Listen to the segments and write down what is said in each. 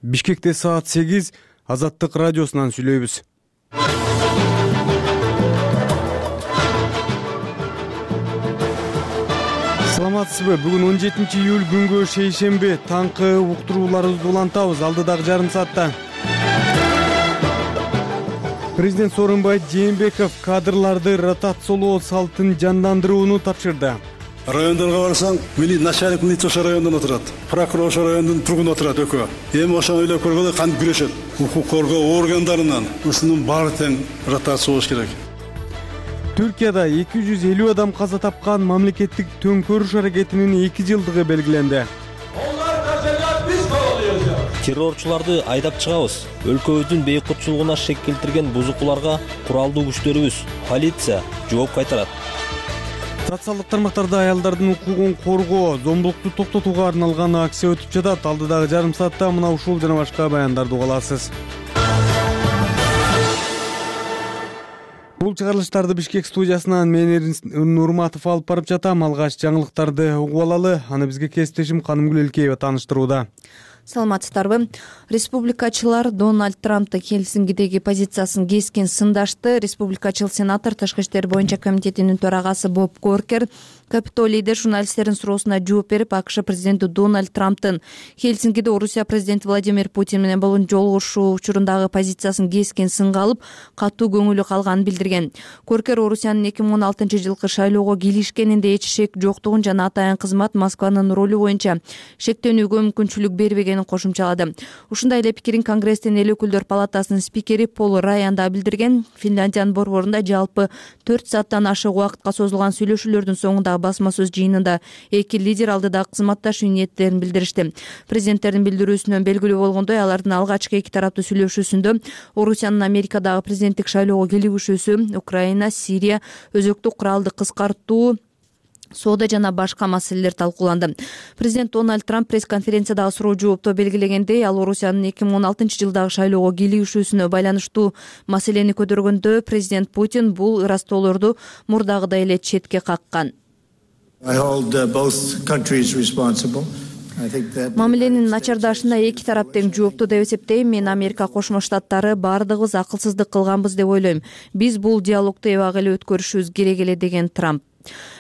Бишкекте саат 8 Азаттык радиосунан сүйлөйбүз. Саламатсызбы? Бүгүн 17-июль күнгө шейшемби. Таңкы уктурууларыбызды улантабыз алдыдагы жарым саатта. Президент Сооронбай Жээнбеков кадрларды ротациялоо салтын жандандырууну тапшырды. Райондорго барсаң, начальник милиция ошо райондон отурат, прокурор ошо райондун тургуну отурат экөө. Эми ошону ойлоп көргөндө кантип күрөшөт? Укук коргоо органдарынан ушунун баары тең ротация болуш керек. Түркияда 250 адам каза тапкан мамлекеттик төңкөрүш аракетинин 2 жылдыгы белгиленди. Террорчуларды айдап чыгабыз. Өлкөбүздүн бейкутчулугуна шек келтирген бузукуларга куралдуу күчтөрүбүз, полиция жооп кайтарат. Социалдык тармактарда аялдардын укугун коргоо, зомбулукту токтотууга арналган акция өтүп жатат. Алдыдагы жарым саатта мына ушул жана башка баяндарды уга аласыз. Бул чыгарылыштарды Бишкек студиясынан мен Эрин Нурматов алып барып жатам. Алгач жаңылыктарды угуп алалы. Аны бизге кесиптешим Канымгүл Элкеева тааныштырууда. Саламатсыздарбы? Республикачылар Дональд Трамптын Хельсинкидеги позициясын кескен сындашты. Республикачыл сенатор Тышкы иштер боюнча комитетинин төрагасы Боб Коркер Капитолийде журналисттердин суроосуна жооп берип, АКШ президенти Дональд Трамптын Хельсинкиде Орусия президенти Владимир Путин менен болгон жолугушуу учурундагы позициясын кескен сынга алып, катуу көңүлү калганын билдирген. Коркер Орусиянын 2016-жылкы шайлоого кийлишкенинде эч шек жоктугун жана атайын кызмат Москванын ролу боюнча шектенүүгө мүмкүнчүлүк бербегенин кошумчалады. Ушундай эле пикирин Конгресстин эл өкүлдөр палатасынын спикери Пол Райан да билдирген. Финляндиянын борборунда жалпы 4 сааттан ашык убакытка созулган сүйлөшүүлөрдүн соңунда басма сөз жыйынында эки лидер алдыдагы кызматташуу ниеттерин билдиришти. Президенттердин билдирүүсүнөн белгилүү болгондой, алардын алгачкы эки тараптуу сүйлөшүүсүндө Орусиянын Америкадагы президенттик шайлоого келишүүсү, Украина, Сирия, өзөктүк куралды кыскартуу, соода жана башка маселелер талкууланды. Президент Дональд Трамп пресс-конференциядагы суроо жоопто белгилегендей, ал Орусиянын 2016-жылдагы шайлоого кийлигишүүсүнө байланыштуу маселени көтөргөндө президент Путин бул ыраазтоолорду мурдагыдай эле четке каккан. Мамиленин начардашына эки тарап тең жоопту деп эсептейм. Мен Америка Кошмо Штаттары баардыгыбыз акылсыздык кылганбыз деп ойлойм. Биз бул диалогду эбак эле өткөрүшүбүз керек эле, деген Трамп.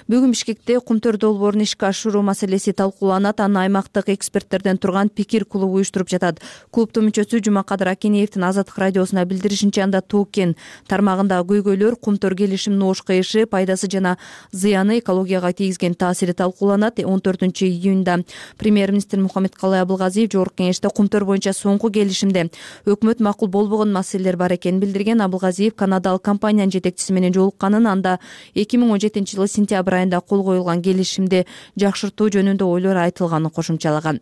Бүгүн Бишкекте Кумтөр долбоорун ишке ашыруу маселеси талкууланат. Аны аймактык эксперттерден турган пикир клубу уюштуруп жатат. Клубдун мүчөсү Жумакадыр Акинеевдин Азаттык радиосуна билдиришинче, анда Токен тармагындагы көйгөйлөр, Кумтөр келишиминин ош кыйышы, пайдасы жана зыяны, экологияга тийгизген таасири талкууланат. 14-июнда премьер-министр Мухаммедкалый Абылгазиев жогорку кеңеште Кумтөр боюнча соңку келишимде өкмөт макул болбогон маселелер бар экенин билдирген. Абылгазиев канадалык компаниянын жетекчиси менен жолукканын, анда 2017-жылы сентябрь айында кол коюлган келишимди жакшыртуу жөнүндө ойлор айтылганын кошумчалаган.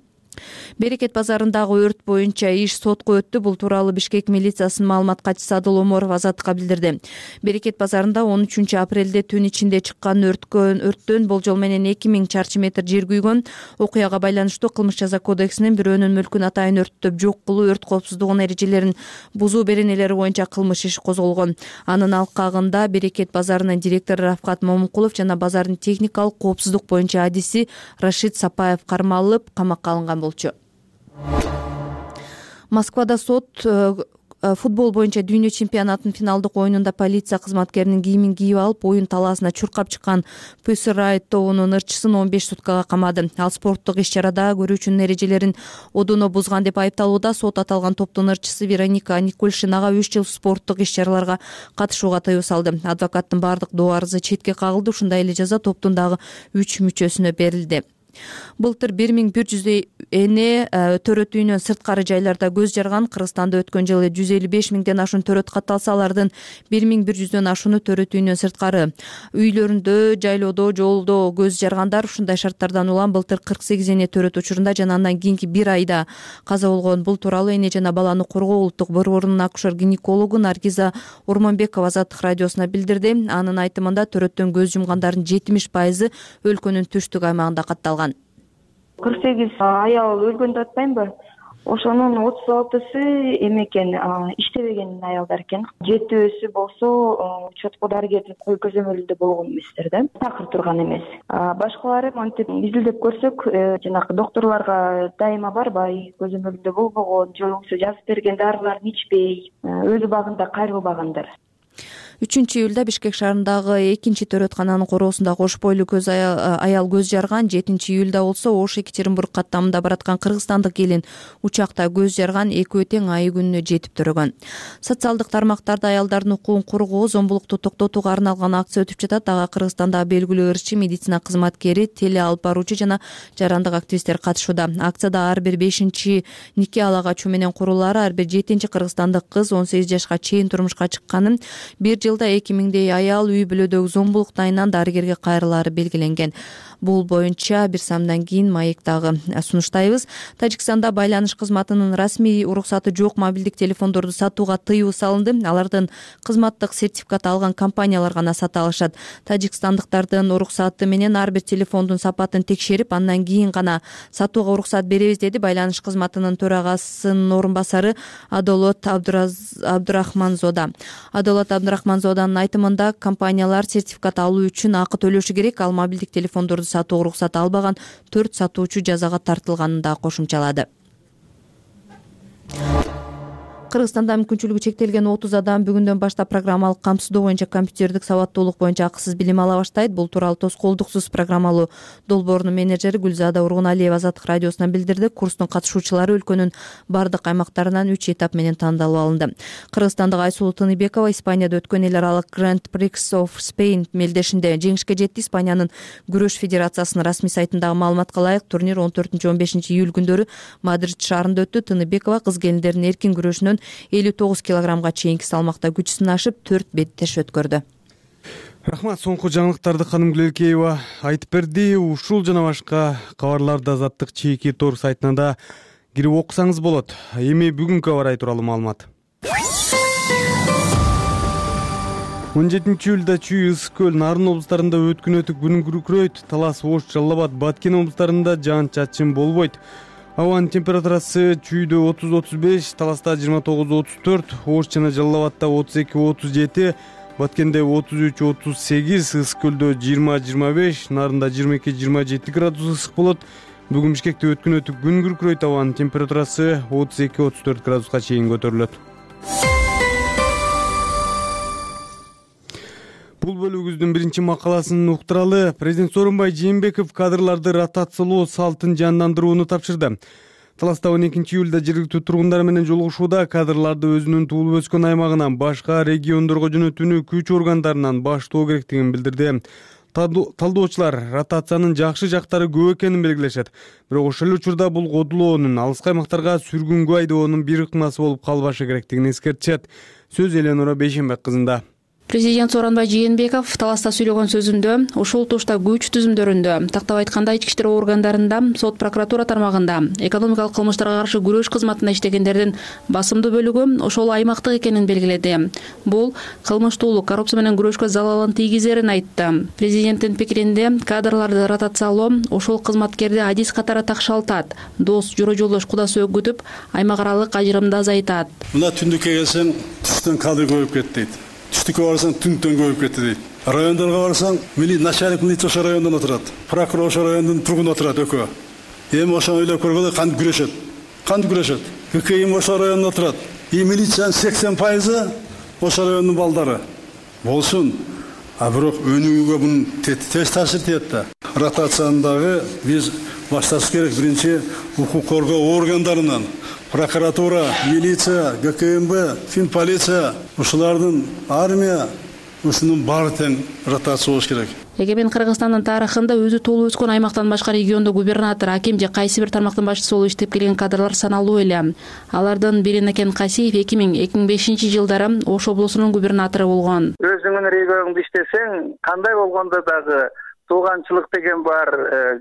Берекет базарындагы өрт боюнча иш сотко өттү. Бул тууралуу Бишкек милициясынын маалымат катчысы Адыл Оморов Азаттыкка билдирди. Берекет базарында 13-апрелде түн ичинде чыккан өрттөн болжол менен 2000 чарчы метр жер күйгөн. Окуяга байланыштуу Кылмыш жаза кодексинин бирөөнүн мүлкүн атайын өрттөп жок кылуу, өрт коопсуздугунун эрежелерин бузуу беренелери боюнча кылмыш иши козголгон. Анын алкагында Берекет базарынын директору Рафкат Момункулов жана базардын техникалык коопсуздук боюнча адиси Рашид Сапаев кармалып, камакка алынган болчу. Москвада сот футбол боюнча дүйнө чемпионатынын финалдык оюнунда полиция кызматкеринин кийимин кийип алып, оюн талаасына чуркап чыккан Pussy Riot тобунун ырчысын 15 суткага камады. Ал спорттук иш-чарада көрүүчүнүн эрежелерин одоно бузган деп айыпталууда. Сот аталган топтун ырчысы Вероника Никольшинага 3 жыл спорттук иш-чараларга катышууга тыюу салды. Адвокаттын бардык доо арызы четке кагылды. Ушундай эле жаза топтун дагы 3 мүчөсүнө берилди. Былтыр 1100 эне төрөт үйүнөн сырткары жайларда көз жарган. Кыргызстанда өткөн жылы 155 миңден ашуун төрөт катталса, алардын 1100дөн ашууну төрөт үйүнөн сырткары үйлөрүндө, жайлоодо, жолдо көз жаргандар. Ушундай шарттардан улам былтыр 48 эне төрөт учурунда жана андан кийинки 1 айда каза болгон. Бул тууралуу эне жана баланы коргоо улуттук борборунун акушер-гинекологу Наргиза Урманбекова Азаттык радиосуна билдирди. Анын айтымында төрөттөн көз жумгандардын 70% өлкөнүн түштүк аймагында катталган. 48 аял өлгөн деп атпаймынбы? Ошонун 36-сы эме экен, иштебеген аялдар экен. 7-өөсү болсо учетко дарыгердин кой көзөмөлүндө болгон эместер да, такыр турган эмес. Башкалары мынтип изилдеп көрсөк, жанагы докторлорго дайыма барбай, көзөмөлүндө болбогон же болбосо жазып берген дарыларын ичпей, өз убагында кайрылбагандар. 3-июлда Бишкек шаарындагы 2-төрөткананын короосунда кош бойлуу көз аял көз жарган. 7-июлда болсо Ош-Екатеринбург каттамында бараткан кыргызстандык келин учакта көз жарган, экөө тең айы күнүнө жетип төрөгөн. Социалдык тармактарда аялдардын укугун коргоо, зомбулукту токтотууга арналган акция өтүп жатат. Ага Кыргызстандагы белгилүү ырчы, медицина кызматкери, теле алып баруучу жана жарандык активисттер катышууда. Акцияда ар бир 5-чи нике алагачуу менен курулары, ар бир 7-чи кыргызстандык кыз 18 жашка чейин турмушка чыкканын, бир жылда 2000 аял үй бүлөдөгү зомбулук айынан дарыгерге кайрылаары белгиленген. Бул боюнча бир самдан кийин маектагы сунуштайбыз. Тажикстанда байланыш кызматынын расмий уруксаты жок мобилдик телефондорду сатууга тыюу салынды. Алардын кызматтык сертификат алган компаниялар гана сата алышат. Тажикстандыктардын уруксаты менен ар бир телефондун сапатын текшерип, андан кийин гана сатууга уруксат беребиз, деди байланыш кызматынын төрагасынын орун басары Адолот Абдурахманзода. Адолот Абдурахманзоданын айтымында, компаниялар сертификат алуу үчүн акы төлөшү керек. Ал мобилдик телефондорду сатууга уруксат албаган 4 сатуучу жазага тартылганын да кошумчалады. Кыргызстанда мүмкүнчүлүгү чектелген 30 адам бүгүндөн баштап программалык камсыздоо боюнча компьютердик сабаттуулук боюнча акысыз билим ала баштайт. Бул тууралуу тоскоолдуксуз программалуу долбоорунун менеджери Гүлзада Ургуналиева Азаттык радиосуна билдирди. Курстун катышуучулары өлкөнүн бардык аймактарынан 3 этап менен тандалып алынды. Кыргызстандык Айсулуу Тыныбекова Испанияда өткөн эл аралык Grand Prix of Spain мелдешинде жеңишке жетти. Испаниянын күрөш федерациясынын расмий сайтындагы маалыматка ылайык, турнир 14-15 июль күндөрү Мадрид шаарында өттү. Тыныбекова кыз келиндердин эркин күрөшүнөн 59 килограммга чейинки салмакта күч сынашып 4 беттеш өткөрдү. Рахмат, соңку жаңылыктарды Ханым Гүлекеева айтып берди. Ушул жана башка кабарларды Азаттык чеки тор сайтына да кирип окусаңыз болот. Эми бүгүнкү аба ырайы тууралуу маалымат. 17 июлда Чүй, Ысык көл, Нарын облустарында өткүнөтүк күн күркүрөйт. Талас, Ош, Жалал Абад, Баткен облустарында жаан-чачын болбойт. Абанын температурасы Чүйдө 30-35, Таласта 29-34, Ош жана Жалал Абадта 32-37, Баткенде 33-38, Ысык көлдө 20-25, Нарында 22-27 градус ысык болот. Бүгүн Бишкекте өткүнөтүк күн күркүрөйт. Абанын температурасы 32-34 градуска чейин көтөрүлөт. Бул бөлүгүбүздүн биринчи макаласын уктуралы. Президент Сооронбай Жээнбеков кадрларды ротациялоо салтын жандандырууну тапшырды. Таласта 12 июлда жергиликтүү тургундар менен жолугушууда кадрларды өзүнүн туулуп өскөн аймагынан башка региондорго жөнөтүүнү күч органдарынан баштоо керектигин билдирди. Талдоочулар ротациянын жакшы жактары көп экенин белгилешет. Бирок ошол эле учурда бул кодулоонун алыскы аймактарга сүргүнгө айдоонун бир ыкмасы болуп калбашы керектигин эскертишет. Сөз Эленора Бейшенбек кызында. Президент Сооронбай Жээнбеков Таласта сүйлөгөн сөзүндө ушул тушта күч түзүмдөрүндө, тактап айтканда ички иштер органдарында, сот прокуратура тармагында, экономикалык кылмыштарга каршы күрөш кызматында иштегендердин басымдуу бөлүгү ошол аймактык экенин белгиледи. Бул кылмыштуулук, коррупция менен күрөшкө залалын тийгизерин айтты. Президенттин пикиринде кадрларды ротациялоо ошол кызматкерди адис катары такшалтат, дос, жора жолдош, куда сөөк күтүп, аймак аралык ажырымды азайтат. Мына түндүккө келсең, түстөн кадр көбөйүп кетти дейт. Түштүккө барсаң, түндөн көбөйүп кетти дейт. Райондорго барсаң, начальник милиция ошол райондон отурат, прокурор ошол райондун тургуну отурат экөө. Эми ошону ойлоп көргөндө кантип күрөшөт? Кантип күрөшөт? ККМ ошол райондон отурат. Милициянын 80% ошол райондун балдары. Болсун. Бирок өнүгүүгө бунун терс таасир тиет да. Ротациядагы биз башташ керек. Биринчи укук коргоо органдарынан, прокуратура, милиция, ГКМБ, финполиция, ушулардын армия, ушунун баары тең ротация болуш керек. Эгемен Кыргызстандын тарыхында өзү туулуп өскөн аймактан башка региондо губернатор, аким же кайсы бир тармактын башчысы болуп иштеп келген кадрлар саналуу эле. Алардын бири Накен Касиев 2000-2005 жылдары Ош облусунун губернатору болгон. Өзүңүн регионуңда иштесең, кандай болгондо дагы тууганчылык деген бар,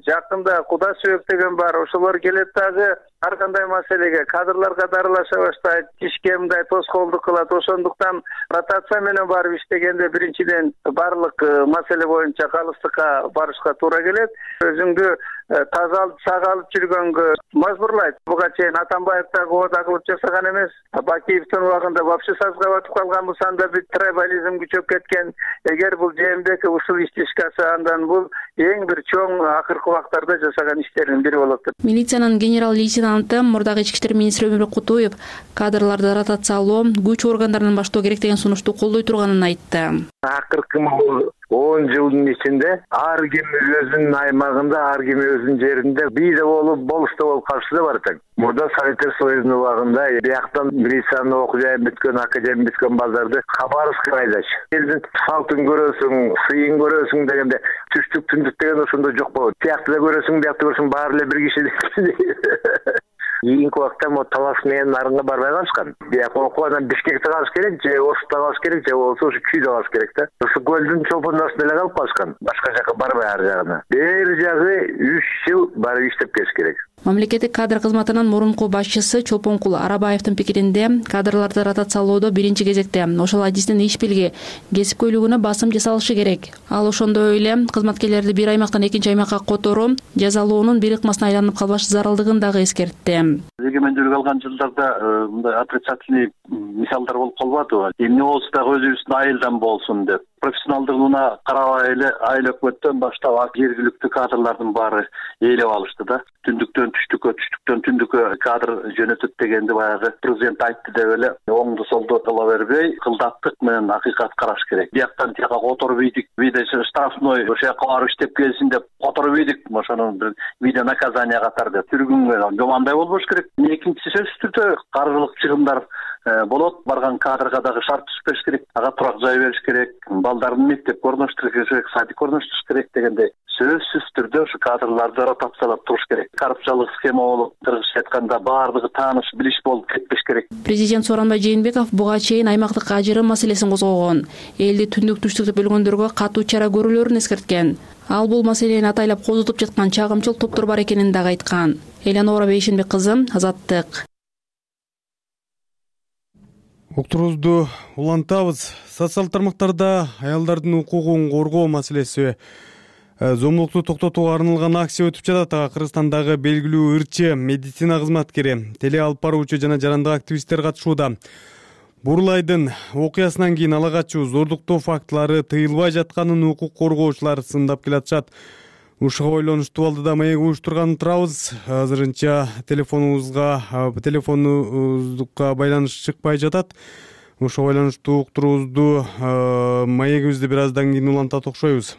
жакында куда сөөк деген бар, ошолор келет дагы ар кандай маселеге кадрларга дарылаша баштайт, ишке мындай тоскоолдук кылат. Ошондуктан ротация менен барып иштегенде биринчиден барлык маселе боюнча калыстыкка барышка туура келет. Өзүңдү таза алып сага алып жүргөнгө мажбурлайт. Буга чейин Атамбаев дагы оода кылып жасаган эмес. Бакиевдин убагында вообще сазга батып калган болсо анда бир трибализм күчөп кеткен. Эгер бул Жээнбеков ушул ишти ишке алса, андан бул эң бир чоң акыркы убактарда жасаган иштердин бири болот. Милициянын генерал-лейтенанты мурдагы ички иштер министри Өмүрбек Кутуев кадрларды ротациялоо күч органдарынан баштоо керек деген сунушту колдой турганын айтты. Акыркы 10 жылдын ичинде ар ким өзүнүн аймагында, ар ким өзүнүн жеринде бийде болуп, болушта болуп калышы да бар экен. Мурда Советтер Союзунун убагында бияктан милициянын окуу жайын бүткөн, академия бүткөн балдарды Хабаровскка айдаш. Элдин салтын көрөсүң, сыйын көрөсүң дегенде түштүк түндүк деген ошондо жок болот. Биякты да көрөсүң, биякты көрөсүң, баары эле бир киши. Кийинки убакта Талас менен Нарынга барбай калышкан. Бияк окуудан Бишкекте калыш керек, же Ошутта калыш керек, же болбосо ушу Күйдө калыш керек да. Ушу көлдүн чолпондосунда эле калып калышкан. Башка жака барбай ар жагына. Бери жагы 3 жыл барып иштеп келиш керек. Мамлекеттик кадр кызматынын мурунку башчысы Чолпонкул Арабаевдин пикиринде кадрларды ротациялоодо биринчи кезекте ошол адистин иш билги, кесипкөйлүгүнө басым жасалышы керек. Ал ошондой эле кызматкерлерди бир аймактан экинчи аймакка которуу, жазалоонун бир ыкмасына айланып калбаш зарылдыгын дагы эскертти. Эгемендүүлүк алган жылдарда мындай отрицательный мисалдар болуп калбадыбы? Эмне болсо дагы өзүбүздүн айылдан болсун деп. Профессионалдыгына карабай эле айыл өкмөттөн баштап жергиликтүү кадрлардын баары ээлеп алышты да. Түндүктөн түштүккө, түштүктөн түндүккө кадр жөнөтөт дегенди баягы президент айтты деп эле оңду солду кыла бербей, кылдаттык менен акыйкат караш керек. Бияктан тияка которуп ийдик, бийде штрафной ошол жака барып иштеп келсин деп которуп ийдик, ошонун бир бийде наказание катары деп түргүнгө жомандай болбош керек. Экинчиси сөзсүз түрдө каржылык чыгымдар болот. Барган кадрга дагы шарт түзүш керек, ага турак жай бериш керек, балдарын мектепке орноштуруш керек, садикке орноштуруш керек дегенде сөзсүз түрдө ушу кадрларды ротациялап туруш керек. Коррупциялык схема болуп, кыргызча айтканда баардыгы тааныш, билиш болуп кетпеш керек. Президент Сооронбай Жээнбеков буга чейин аймактык ажырым маселесин козгогон, элди түндүк түштүк деп бөлгөндөргө катуу чара көрүүлөрүн эскерткен. Ал бул маселени атайлап козутуп жаткан чагымчыл топтор бар экенин дагы айткан. Элянора Бейшенбек кызы, Азаттык. Уктуруубузду улантабыз. Социалдык тармактарда аялдардын укугун коргоо маселеси зомбулукту токтотууга арналган акция өтүп жатат. Кыргызстандагы белгилүү ырчы, медицина кызматкери, теле алып баруучу жана жарандык активисттер катышууда. Бурлайдын окуясынан кийин ала качуу, зордуктоо фактылары тыйылбай жатканын укук коргоочулар сындап келатышат. Ушуга байланыштуу балдыда маек уюштурганын турабыз. Азырынча телефонубузга байланыш чыкпай жатат. Ушуга байланыштуу уктуруубузду маегибизди бир аздан кийин улантат окшойбуз.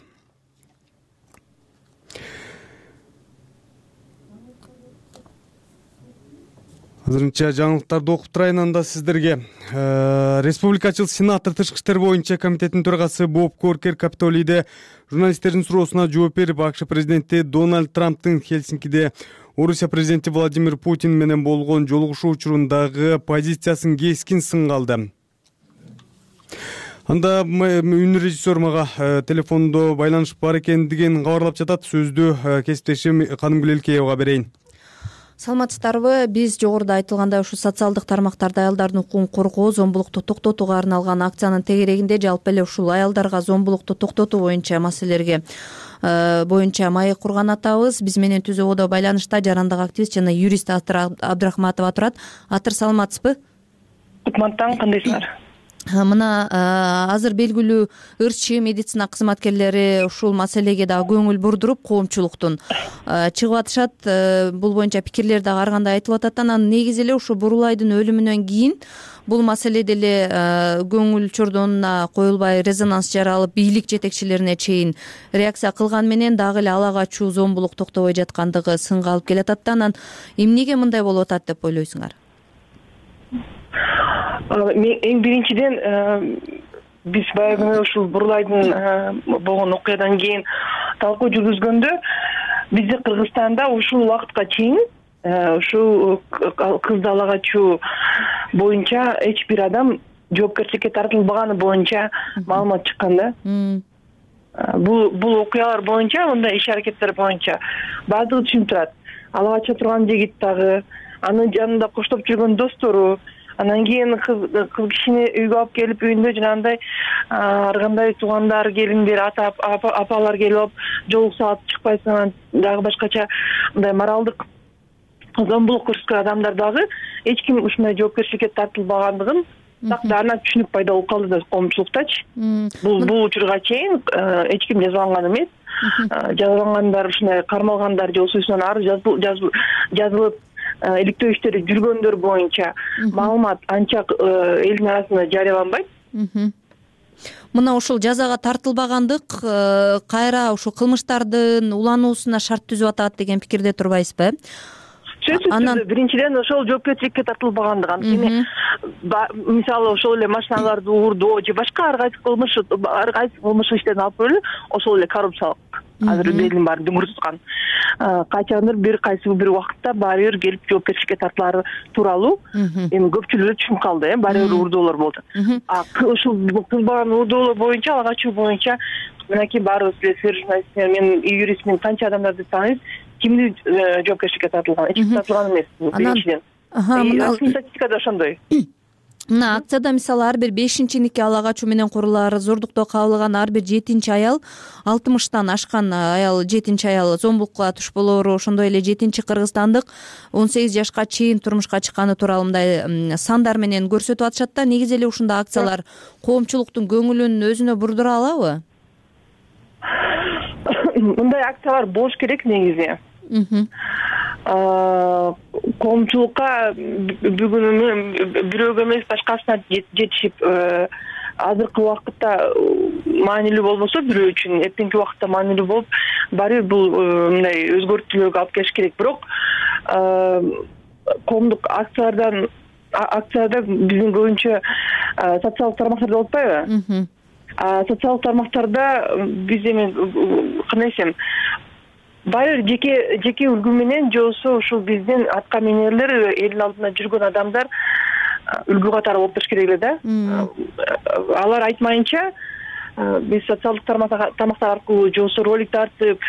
Азырынча жаңылыктарды окуп турайын анда сиздерге. Республикачыл сенатор Тышкы иштер боюнча комитеттин төрагасы Боб Коркер Капитолийде журналисттердин суроосуна жооп берип, АКШ президенти Дональд Трамптын Хельсинкиде Орусия президенти Владимир Путин менен болгон жолугушуу учурундагы позициясын кескин сынга алды. Анда үнү режиссер мага телефондо байланыш бар экендигин кабарлап жатат. Сөздү кесиптешим Канымгүл Элкеевага берейин. Саламатсыздарбы? Биз жогоруда айтылгандай ушу социалдык тармактарда аялдардын укугун коргоо, зомбулукту токтотууга арналган акциянын тегерегинде жалпы эле ушул аялдарга зомбулукту токтотуу боюнча маселелерге боюнча маек курган атабыз. Биз менен түзөбодо байланышта жарандык активист жана юрист Атыр Абдрахматова турат. Атыр, саламатсызбы? Кутмантаң, кандайсыңар? Мына азыр белгилүү ырчы медицина кызматкерлери ушул маселеге дагы көңүл бурдуруп, коомчулуктун чыгып атышат. Бул боюнча пикирлер дагы ар кандай айтылып атат. Анан негизи эле ушу Бурлайдын өлүмүнөн кийин бул маселе деле көңүл чордонуна коюлбай резонанс жаралып, бийлик жетекчилерине чейин реакция кылган менен дагы эле ала качуу, зомбулук токтобой жаткандыгы сынга алып келатат да. Анан эмнеге мындай болуп атат деп ойлойсуңар? Эң биринчиден биз баягы ушул Бурлайдын болгон окуядан кийин талкуу жүргүзгөндө бизде Кыргызстанда ушул убакытка чейин ушул кызды ала качуу боюнча эч бир адам жоопкерчиликке тартылбаганы боюнча маалымат чыккан да. Бул окуялар боюнча, мындай иш аракеттер боюнча баардыгы түшүнүп турат. Ала кача турган жигит дагы, анын жанында коштоп жүргөн достору, Анан кийин кыз кишини үйгө алып келип үйүндө жанагындай ар кандай туугандар, келиндер, апалар келип алып жолукса алып чыкпайсың, анан дагы башкача мындай моралдык зомбулук көрсөткөн адамдар дагы эч ким ушундай жоопкерчиликке тартылбагандыгын так даана түшүнүк пайда болуп калды да коомчулуктачы. Бул учурга чейин эч ким жазаланган эмес. Жазалангандар, ушундай кармалгандар же болбосо арыз жазылып иликтөө иштери жүргөндөр боюнча маалымат анча элдин арасында жарыяланбайт. Мына ушул жазага тартылбагандык кайра ушул кылмыштардын улануусуна шарт түзүп атат деген пикирде турбайсызбы? Сөзсүз биринчиден ошол жоопкерчиликке тартылбагандыгы. Анткени мисалы ошол эле машиналарды уурдоо же башка ар кайсы кылмыш иштерин алып көрөлү, ошол эле коррупциялык азыр элдин баарын дүңүр туткан. Качандыр бир кайсы бир убакытта баары бир келип жоопкерчиликке тартылары тууралуу эми көпчүлүгү түшүнүп калды, баары бир уурдоолор болду. Ушул кылбаган уурдоолор боюнча, ага качуу боюнча мынакей баарыбыз билесиздер, журналисттер, мен юристмин, канча адамдарды тааныйбыз, кимди жоопкерчиликке тартылган, эч ким тартылган эмес биринчиден. Статистикада ошондой. Мына акцияда мисалы ар бир 5-нике ала качуу менен курулар, зордуктоо кабылган ар бир 7 аял, 60-тан ашкан аял 7 аял зомбулукка туш болору, ошондой эле 7 кыргызстандык 18 жашка чейин турмушка чыкканы тууралуу мындай сандар менен көрсөтүп атышат да. Негизи эле ушундай акциялар коомчулуктун көңүлүн өзүнө бурдура алабы? Мындай акциялар болуш керек негизи. Коомчулукка бүгүн бирөөгө эмес башкасына жетишип, азыркы убакытта маанилүү болбосо бирөө үчүн эртеңки убакытта маанилүү болуп, баары бир бул мындай өзгөртүүлөргө алып келиш керек. Бирок коомдук акцияда биздин көбүнчө социалдык тармактарда болуп атпайбы? Социалдык тармактарда биз эми кандай десем, баары жеке үлгү менен же болбосо ушул биздин атка минерлер, элдин алдында жүргөн адамдар үлгү катары болуп туруш керек эле да. Алар айтмайынча биз социалдык тармактар аркылуу же болбосо ролик тартып,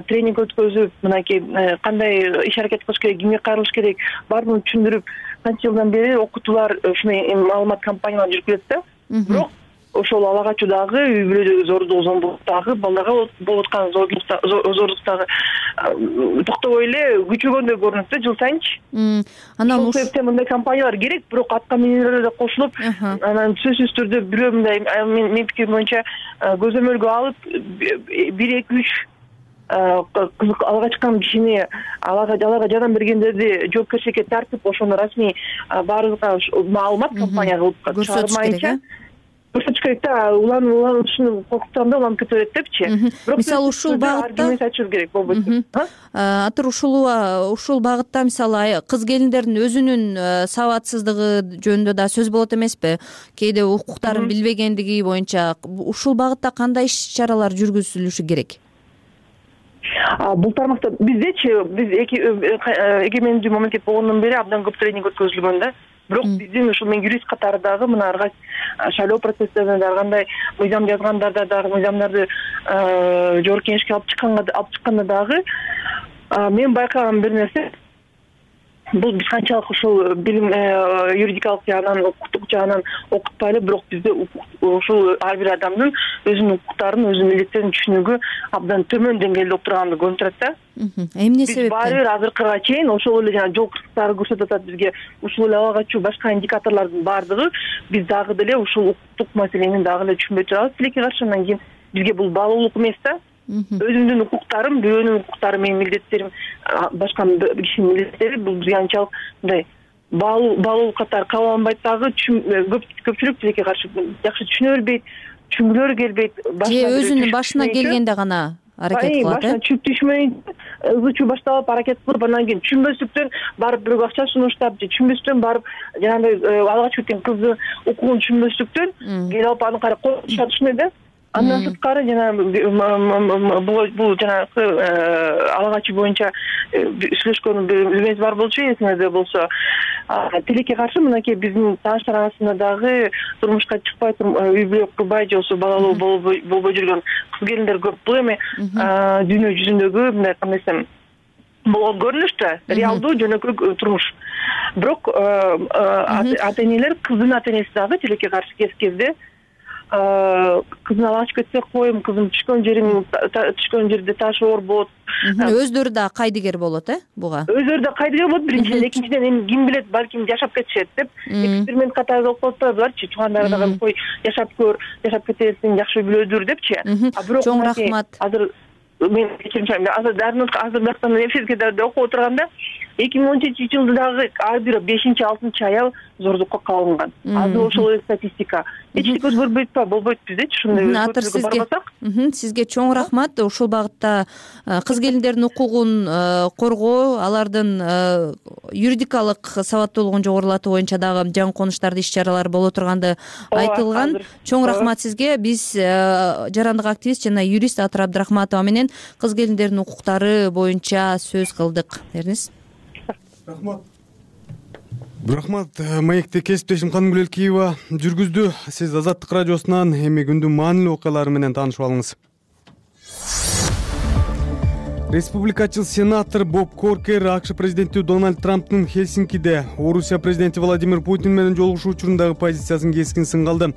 тренинг өткөзүп, мынакей кандай иш аракет кылыш керек, кимге кайрылыш керек, баарын түшүндүрүп, канча жылдан бери окутуулар, ушундай маалымат кампаниялар жүрүп келет да. Бирок ошол ала качуудагы, үй бүлөдөгү зордук, зомбулуктагы, балдарга болуп аткан зордуктагы токтобой эле күчөгөндөй көрүнөт да жыл сайынчы. Ошол себептен мындай компаниялар керек, бирок атка минерлер да кошулуп, анан сөзсүз түрдө бирөө мындай менин пикирим боюнча көзөмөлгө алып 1-2-3 кызык ала качкан кишини, аларга жардам бергендерди жоопкерчиликке тартып, ошону расмий баарыбызга маалымат компания кылып чыгармайынча көрсөтүш керек да. Уланышын коркутканда уланып кете берет депчи. Мисалы ушул багытта айтышыбыз керек болбойт. Атыр ушул багытта мисалы кыз келиндердин өзүнүн сабатсыздыгы жөнүндө да сөз болот эмеспи? Кээде укуктарын билбегендиги боюнча ушул багытта кандай иш-чаралар жүргүзүлүшү керек? Бул тармакта биздечи, биз эгемендүү мамлекет болгондон бери абдан көп тренинг өткөзүлгөн да. Бирок биздин ушул мен юрист катары дагы мына ар кайсы шайлоо процесстеринде ар кандай мыйзам жазгандарда дагы, мыйзамдарды жогорку кеңешке алып чыкканда дагы мен байкаган бир нерсе, бул биз канчалык ушул билим юридикалык жагынан, укуктук жагынан окутпайлы, бирок бизде ушул ар бир адамдын өзүнүн укуктарын, өзүнүн милдеттерин түшүнүгү абдан төмөн деңгээлде болуп турганды көрүнүп турат да. Эмне себептен? Биз баары бир азыркыга чейин ошол эле жана жол кырсыктары көрсөтүп атат бизге, ушул эле ала качуу, башка индикаторлордун баардыгы биз дагы деле ушул укуктук маселени дагы эле түшүнбөй турабыз. Тилекке каршы, андан кийин бизге бул баалуулук эмес да. Өзүмдүн укуктарым, бирөөнүн укуктары, менин милдеттерим, башка кишинин милдеттери бул бизге анчалык мындай баалуулук катары кабыл алынбайт дагы. Көпчүлүк тилекке каршы жакшы түшүнө бербейт, түшүнгүлөрү келбейт. Же өзүнүн башына келгенде гана аракет кылат, башына чүп түшмөй, ызы-чуу башталып аракет кылып, анан кийин түшүнбөстүктөн барып бирөөгө акча сунуштап, же түшүнбөстүктөн барып жанагындай ала качып кеткен кыздын укугун түшүнбөстүктөн келип алып аны кара коркутушат, ушундай да. Андан сырткары жана бул жанагы ала качуу боюнча сүйлөшкөн бирөөбүз бар болчу, эсиңизде болсо. Тилекке каршы мынакей биздин тааныштар арасында дагы турмушка чыкпай, үй бүлө курбай, же болбосо балалуу болбой жүргөн кыз келиндер көп. Бул эми дүйнө жүзүндөгү мындай кандай десем болгон көрүнүштө реалдуу жөнөкөй турмуш. Бирок ата энелер, кыздын ата энеси дагы тилекке каршы кезде кызын ала качып кетсе коем, кызым түшкөн жерде ташы оор болот. Өздөрү да кайдыгер болот, буга? Өздөрү да кайдыгер болот. Биринчиден, экинчиден эми ким билет, балким жашап кетишет деп эксперимент катары болуп калып атпайбыларчы? Туугандары дагы кой жашап көр, жашап кетесиң, жакшы билөөдүр депчи. Бирок чоң рахмат. Азыр мен кечирим, азыр бияктан эфирге да окуп отурганда 2013-жылы дагы ар бир 5-6 аял зордукка кабылган. Азыр ошол эле статистика. Эчтеке өзгөрбөйт атпайбы, болбойт биздечи ушундай көпчүлүккө барбасак. Сизге чоң рахмат. Ушул багытта кыз келиндердин укугун коргоо, алардын юридикалык сабаттуулугун жогорулатуу боюнча дагы жаңы конуштарды иш-чаралар боло турганды айтылган. Чоң рахмат сизге. Биз жарандык активист жана юрист Атыр Абдрахматова менен кыз келиндердин укуктары боюнча сөз кылдык. Эрниз. Рахмат. Маекти кесиптешим Канымгүл Элкиева жүргүздү. Сиз Азаттык радиосунан эми күндүн маанилүү окуялары менен таанышып алыңыз. Республикачыл сенатор Боб Коркер АКШ президенти Дональд Трамптын Хельсинкиде Орусия президенти Владимир Путин менен жолугушуу учурундагы позициясын кескин сынгалды.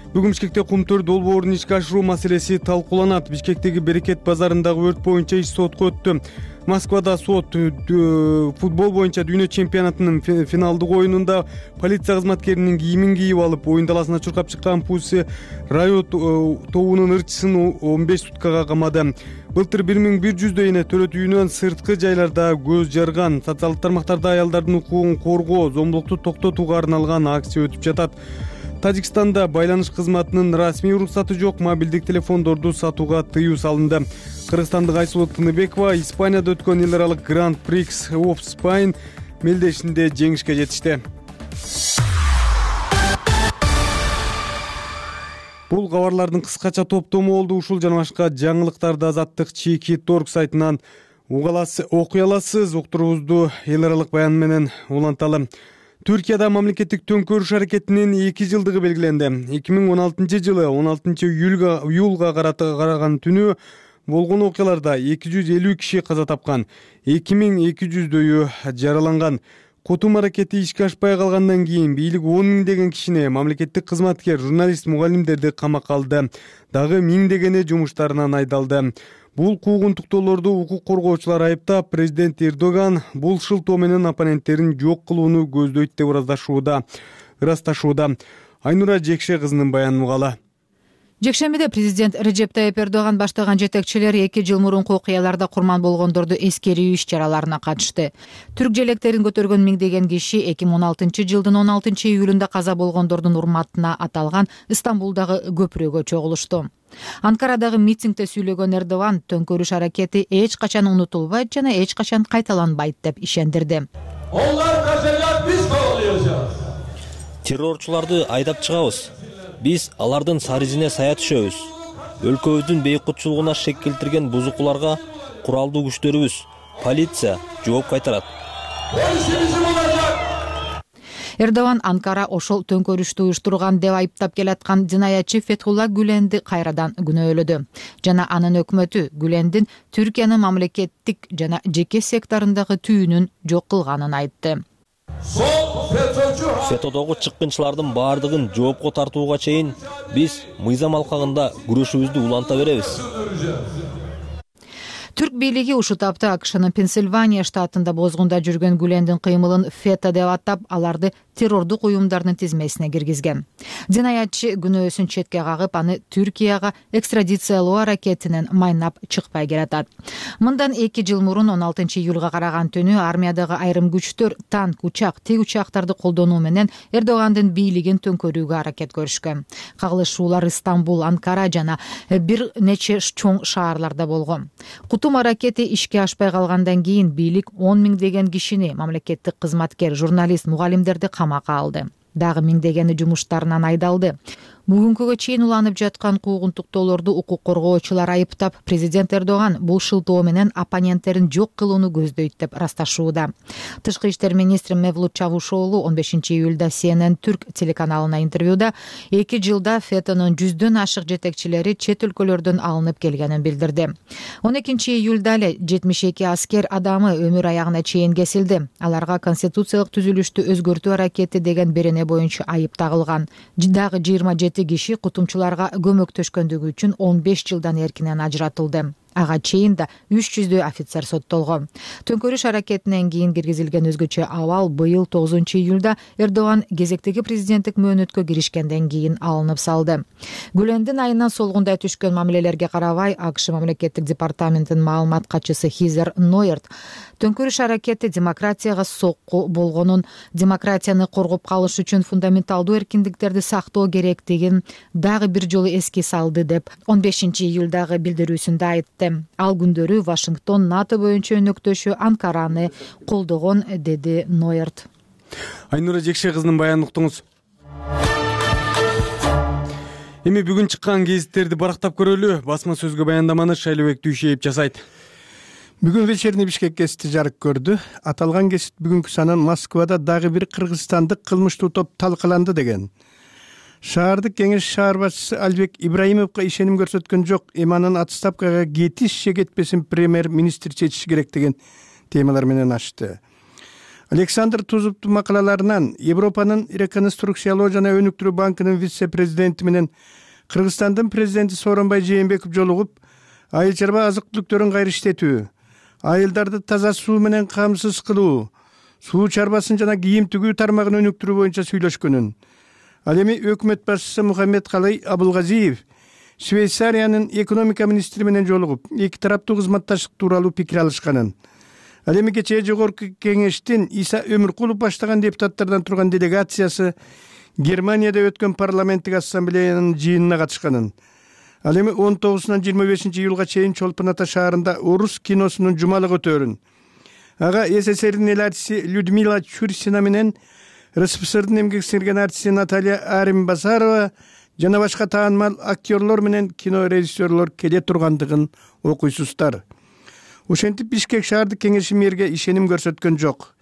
Бүгүн Бишкекте Кумтөр долбоорун ишке ашыруу маселеси талкууланат. Бишкектеги Берекет базарындагы өрт боюнча иш сотко өттү. Москвада сот футбол боюнча дүйнө чемпионатынын финалдык оюнунда полиция кызматкеринин кийимин кийип алып, оюн таласына чуркап чыккан Pussy Riot тобунун ырчысын 15 суткага камады. Былтыр 1100 эне төрөт үйүнөн сырткы жайларда көз жарган. Социалдык тармактарда аялдардын укугун коргоо, зомбулукту токтотууга арналган акция өтүп жатат. Тажикстанда байланыш кызматынын расмий уруксаты жок мобилдик телефондорду сатууга тыюу салынды. Кыргызстандык Айсулуу Тыныбекова Испанияда өткөн эл аралык Grand Prix of Spain мелдешинде жеңишке жетишти. Бул кабарлардын кыскача топтому болду. Ушул жана башка жаңылыктарды Азаттык Чики.org сайтынан окуй аласыз. Уктуруубузду эл аралык баян менен уланталы. Түркияда мамлекеттик төңкөрүш аракетинин 2 жылдыгы белгиленди. 2016-жылы 16-июлга караган түнү болгон окуяларда 250 киши каза тапкан, 2200дөйү жараланган. Кутум аракети ишке ашпай калгандан кийин бийлик 10 миңдеген кишини, мамлекеттик кызматкер, журналист, мугалимдерди камакка алды. Дагы миңдегени жумуштарынан айдалды. Бул куугунтуктоолорду укук коргоочулар айыптап, президент Эрдоган бул шылтоо менен оппоненттерин жок кылууну көздөйт деп ырасташууда. Айнура Жекше кызынын баянын угалы. Жекшембиде президент Режеп Тайып Эрдоган баштаган жетекчилер 2 жыл мурунку окуяларда курман болгондорду эскерүү иш-чараларына катышты. Түрк желектерин көтөргөн миңдеген киши 2016-жылдын 16-июлунда каза болгондордун урматына аталган Стамбулдагы көпүрөгө чогулушту. Анкарадагы митингде сүйлөгөн Эрдоган төңкөрүш аракети эч качан унутулбайт жана эч качан кайталанбайт деп ишендирди. Террорчуларды айдап чыгабыз. Биз алардын сары изине сая түшөбүз. Өлкөбүздүн бейкутчулугуна шек келтирген бузукуларга куралдуу күчтөрүбүз, полиция жооп кайтарат. Эрдоган Анкара ошол төңкөрүштү уюштурган деп айыптап келаткан жинаятчы Фетхулла Гүленди кайрадан күнөөлөдү. Жана анын өкмөтү Гүлендин Түркиянын мамлекеттик жана жеке секторундагы түйүнүн жок кылганын айтты. Фетодогу чыккынчылардын баардыгын жоопко тартууга чейин биз мыйзам алкагында күрөшүбүздү уланта беребиз. Түрк бийлиги ушул тапта АКШнын Пенсильвания штатында бозгунда жүргөн Гүлендин кыймылын фето деп атап, аларды террордук уюмдардын тизмесине киргизген. Жинаятчы күнөөсүн четке кагып, аны Түркияга экстрадициялоо аракетинен майнап чыкпай келатат. Мындан 2 жыл мурун 16-июлга караган түнү армиядагы айрым күчтөр танк, учак, тик учактарды колдонуу менен Эрдогандын бийлигин төңкөрүүгө аракет көрүшкөн. Кагылышуулар Стамбул, Анкара жана бир нече чоң шаарларда болгон. Кутум аракети ишке ашпай калгандан кийин бийлик 10 миңдеген кишини, мамлекеттик кызматкер, журналист, мугалимдерди камакка алды. Дагы миңдегени жумуштарынан айдалды. Бүгүнкүгө чейин уланып жаткан куугунтуктоолорду укук коргоочулар айыптап, президент Эрдоган бул шылтоо менен оппоненттерин жок кылууну көздөйт деп ырасташууда. Тышкы иштер министри Мевлут Чавушоğlu 15 июлда CNN Түрк телеканалына интервьюда 2 жылда ФЭТÖнүн 100дөн ашык жетекчилери чет өлкөлөрдөн алынып келгенин билдирди. 12 июлда эле 72 аскер адамы өмүр аягына чейин кесилди. Аларга конституциялык түзүлүштү өзгөртүү аракети деген берене боюнча айып тагылган. Дагы 27 киши кутумчуларга көмөктөшкөндүгү үчүн 15 жылдан эркинен ажыратылды. Ага чейин да 300 офицер соттолгон. Төңкөрүш аракетинен кийин киргизилген өзгөчө абал быйыл 9 июлда Эрдоган кезектеги президенттик мөөнөткө киришкенден кийин алынып салды. Гүлендин айынан солгундай түшкөн мамилелерге карабай, АКШ мамлекеттик департаментинин маалымат катчысы Хизер Нойерт төңкөрүш аракети демократияга сокку болгонун, демократияны коргоп калыш үчүн фундаменталдуу эркиндиктерди сактоо керектигин дагы бир жолу эске салды деп 15 июлдагы билдирүүсүндө айтты. Ал күндөрү Вашингтон НАТО боюнча өнөктөшү Анкараны колдогон, деди Нойерт. Айнура Жекше кызынын баянын уктуңуз. Эми бүгүн чыккан гезиттерди барактап көрөлү. Басма сөзгө баяндаманы Шайлыбек Дүйшеев жасайт. Бүгүн вечерний Бишкек гезити жарык көрдү. Аталган гезит бүгүнкү санын Москвада дагы бир кыргызстандык кылмыштуу топ талкаланды деген. Шаардык кеңеш шаар башчысы Албек Ибраимовго ишеним көрсөткөн жок, эми анын отставкага кетиш же кетпесин премьер-министр чечиши керек деген темалар менен ачты. Александр Тузуптун макалаларынан Европанын реконструкциялоо жана өнүктүрүү банкынын вице-президенти менен Кыргызстандын президенти Сооронбай Жээнбеков жолугуп, айыл чарба азык-түлүктөрүн кайра иштетүү, айылдарды таза суу менен камсыз кылуу, суу чарбасын жана кийим тигүү тармагын өнүктүрүү боюнча сүйлөшкөнүн, ал эми өкмөт башчысы Мухаммедкалый Абылгазиев Швейцариянын экономика министри менен жолугуп, эки тараптуу кызматташтык тууралуу пикир алышканын, ал эми кечээ жогорку кеңештин Иса Өмүркулов баштаган депутаттардан турган делегациясы Германияда өткөн парламенттик ассамблеянын жыйынына катышканын, ал эми 19-25 июлга чейин Чолпон Ата шаарында орус киносунун жумалык өтөөрүн, ага СССРдин эл артиси Людмила Чурсина менен РСФСРдын эмгек сиңирген артиси Наталья Аримбасарова жана башка таанымал актерлор менен кино режиссерлор келе тургандыгын окуйсуздар. Ошентип Бишкек шаардык кеңеши мэрге ишеним көрсөткөн жок.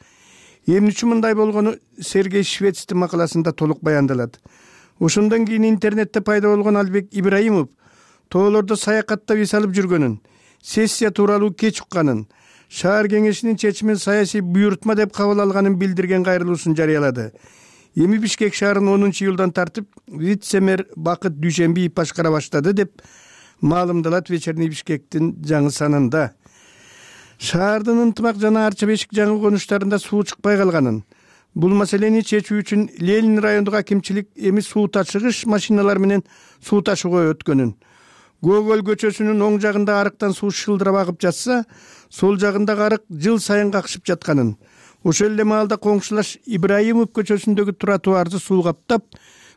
Эмне үчүн мындай болгону Сергей Швецтин макаласында толук баяндалат. Ошондон кийин интернетте пайда болгон Албек Ибраимов тоолордо саякаттап эс алып жүргөнүн, сессия тууралуу кеч укканын, шаар кеңешинин чечимин саясий буйрутма деп кабыл алганын билдирген кайрылуусун жарыялады. Эми Бишкек шаарын 10 июлдан тартып вице-мэр Бакыт Дүйшенбиев башкара баштады деп маалымдалат вечерний Бишкектин жаңы санында. Шаардын Ынтымак жана Арча Бешик жаңы конуштарында суу чыкпай калганын, бул маселени чечүү үчүн Ленин райондук акимчилик эми суу ташыгыч машиналар менен суу ташууга өткөнүн, Гоголь көчөсүнүн оң жагында арыктан суу шылдырап агып жатса, сол жагындагы арык жыл сайын какшып жатканын, ошол эле маалда коңшулаш Ибраимов көчөсүндөгү тротуарды суу каптап,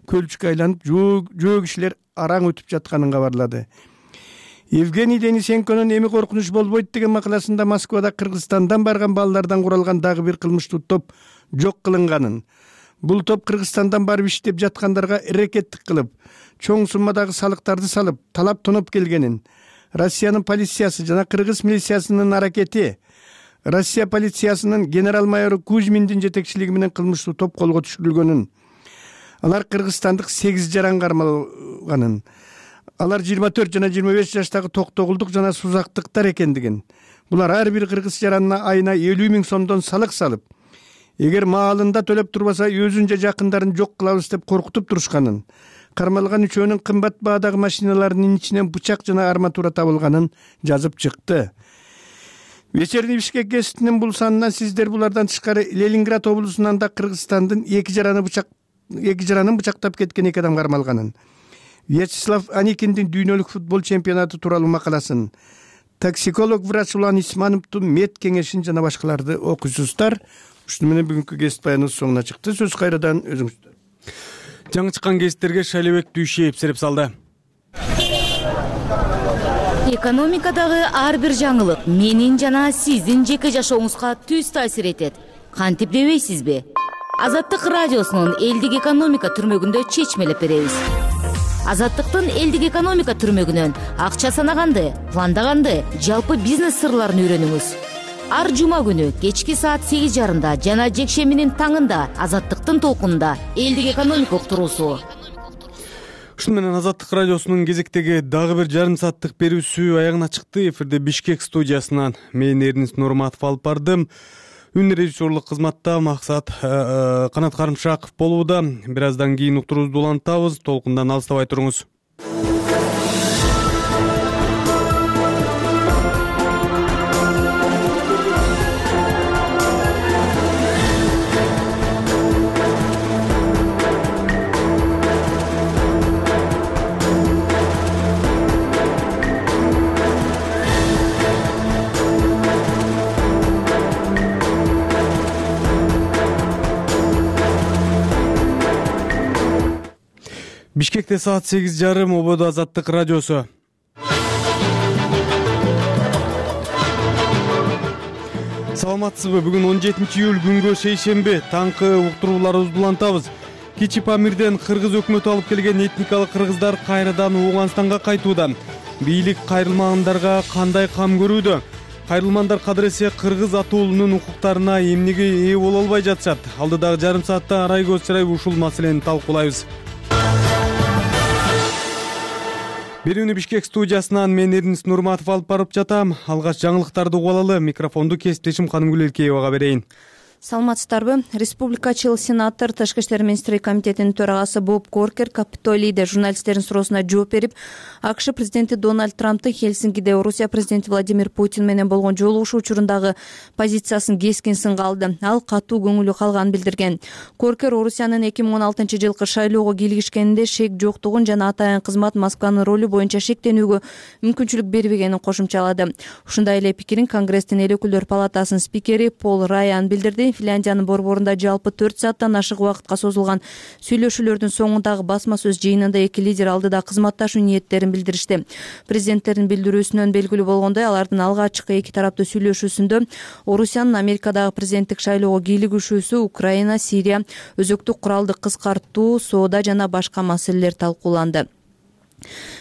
көлчүккө айланып, жөө кишилер араң өтүп жатканын кабарлады. Евгений Денисенконун эми коркунуч болбойт деген макаласында Москвада Кыргызстандан барган балдардан куралган дагы бир кылмыштуу топ жок кылынганын, бул топ Кыргызстандан барып иштеп жаткандарга эрекеттик кылып, чоң суммадагы салыктарды салып, талап тоноп келгенин, Россиянын полициясы жана кыргыз милициясынын аракети, Россия полициясынын генерал-майору Кузьминдин жетекчилиги менен кылмыштуу топ колго түшүрүлгөнүн, алар кыргызстандык 8 жаран кармалганын, алар 24 жана 25 жаштагы токтогулдук жана сузактыктар экендигин, булар ар бир кыргыз жаранына айына 50 000 сомдон салык салып, эгер маалында төлөп турбаса өзүн же жакындарын жок кылабыз деп коркутуп турушканын, кармалган үчөөнүн кымбат баадагы машиналарынын ичинен бычак жана арматура табылганын жазып чыкты. Вечерний Бишкек гезитинин бул санынан сиздер булардан тышкары Ленинград облусунан да Кыргызстандын эки жаранын бычактап кеткен эки адам кармалганын, Вячеслав Аникиндин дүйнөлүк футбол чемпионаты тууралуу макаласын, токсиколог врач Улан Исмановдун мед кеңешин жана башкаларды окуйсуздар. Ушуну менен бүгүнкү гезит баяныбыз соңуна чыкты. Сөз кайрадан өзүңүздөр. Жаңы чыккан гезиттерге Шайлыбек Дүйшеев сереп салды. Экономикадагы ар бир жаңылык менин жана сиздин жеке жашооңузга түз таасир этет. Кантип дебейсизби? Азаттык радиосунун элдик экономика түрмөгүндө чечмелеп беребиз. Азаттыктын элдик экономика түрмөгүнөн акча санаганды, пландаганды, жалпы бизнес сырларын үйрөнүңүз. Ар жума күнү кечки саат 8:30 жана жекшембинин таңында Азаттыктын толкунунда элдик экономика уктуруусу. Ушуну менен Азаттык радиосунун кезектеги дагы бир жарым сааттык берүүсү аягына чыкты. Эфирде Бишкек студиясынан мен Эрнис Нурматов алып бардым. Үн режиссерлук кызматта Максат Канат Карымшаков болууда. Бир аздан кийин уктуруубузду улантабыз. Толкундан алыстабай туруңуз. Бишкекте саат 8:30, ободо Азаттык радиосу. Саламатсызбы? Бүгүн 17-июль күнгө шейшемби. Таңкы уктурууларыбызды улантабыз. Кичи Памирден кыргыз өкмөтү алып келген этникалык кыргыздар кайрадан Ооганстанга кайтууда. Бийлик кайрылмагандарга кандай кам көрүүдө? Кайрылмандар кадыресе кыргыз атуулунун укуктарына эмнеге ээ боло албай жатышат? Алдыдагы жарым саатта арай көз чырайып ушул маселени талкуулайбыз. Берүүнү Бишкек студиясынан мен Эрнис Нурматов алып барып жатам. Алгач жаңылыктарды угуп алалы. Микрофонду кесиптешим Канымгүл Элкеевага берейин. Саламатсыздарбы? Республикачыл сенатор Тышкы иштер министрлиги комитетинин төрагасы Боб Коркер Капитолийде журналисттердин суроосуна жооп берип, АКШ президенти Дональд Трамптын Хельсинкиде Орусия президенти Владимир Путин менен болгон жолугушуу учурундагы позициясын кескин сынга алды. Ал катуу көңүлү калганын билдирген. Коркер Орусиянын 2016-жылкы шайлоого кийлигишкенинде шек жоктугун жана атайын кызмат Москванын ролу боюнча шектенүүгө мүмкүнчүлүк бербегенин кошумчалады. Ушундай эле пикирин Конгресстин эл өкүлдөр палатасынын спикери Пол Райан билдирди. Финляндиянын борборунда жалпы 4 сааттан ашык убакытка созулган сүйлөшүүлөрдүн соңундагы басма сөз жыйынында эки лидер алдыда кызматташуу ниеттерин билдиришти. Президенттердин билдирүүсүнөн белгилүү болгондой, алардын алгачкы эки тараптуу сүйлөшүүсүндө Орусиянын Америкадагы президенттик шайлоого кийлигишүүсү, Украина, Сирия, өзөктүк куралды кыскартуу, соода жана башка маселелер талкууланды.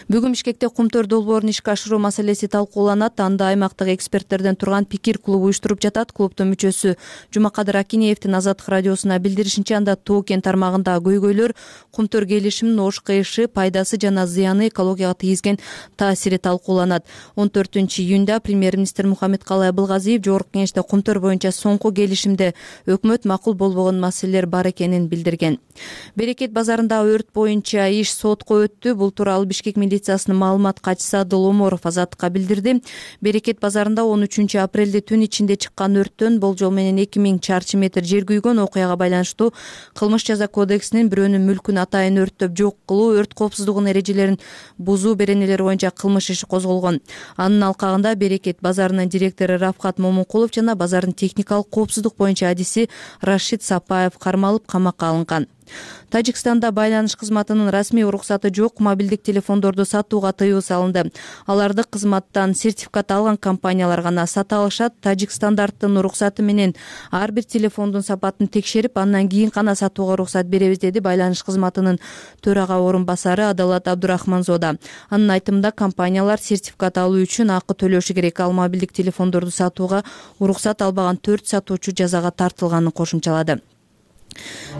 Бүгүн Бишкекте Кумтөр долбоорун ишке ашыруу маселеси талкууланат. Анда аймактык эксперттерден турган пикир клубу уюштуруп жатат. Клубдун мүчөсү Жумакадыр Акинеевдин Азаттык радиосуна билдиришинче, анда Тоо кен тармагындагы көйгөйлөр, Кумтөр келишиминин ош кыйышы, пайдасы жана зыяны, экологияга тийгизген таасири талкууланат. 14-июнда премьер-министр Мухаммед Калай Абылгазиев Жогорку Кеңеште Кумтөр боюнча соңку келишимде өкмөт макул болбогон маселелер бар экенин билдирген. Берекет базарында өрт боюнча иш сотко өттү. Бул тууралуу Бишкек милициясынын маалымат катчысы Адыл Оморов Азаттыкка билдирди. Берекет базарында 13 апрелде түн ичинде чыккан өрттөн болжол менен 2000 чарчы метр жер күйгөн. Окуяга байланыштуу кылмыш жаза кодексинин бирөөнүн мүлкүн атайын өрттөп жок кылуу, өрт коопсуздугунун эрежелерин бузуу беренелери боюнча кылмыш иши козголгон. Анын алкагында Берекет базарынын директору Рафкат Момункулов жана базардын техникалык коопсуздук боюнча адиси Рашид Сапаев кармалып, камакка алынган. Тажикстанда байланыш кызматынын расмий уруксаты жок мобилдик телефондорду сатууга тыюу салынды. Аларды кызматтан сертификат алган компаниялар гана сата алышат. Тажик стандарттын уруксаты менен ар бир телефондун сапатын текшерип, андан кийин гана сатууга уруксат беребиз, деди байланыш кызматынын төрага орун басары Адалат Абдурахманзода. Анын айтымында компаниялар сертификат алуу үчүн акы төлөшү керек. Ал мобилдик телефондорду сатууга уруксат албаган 4 сатуучу жазага тартылганын кошумчалады.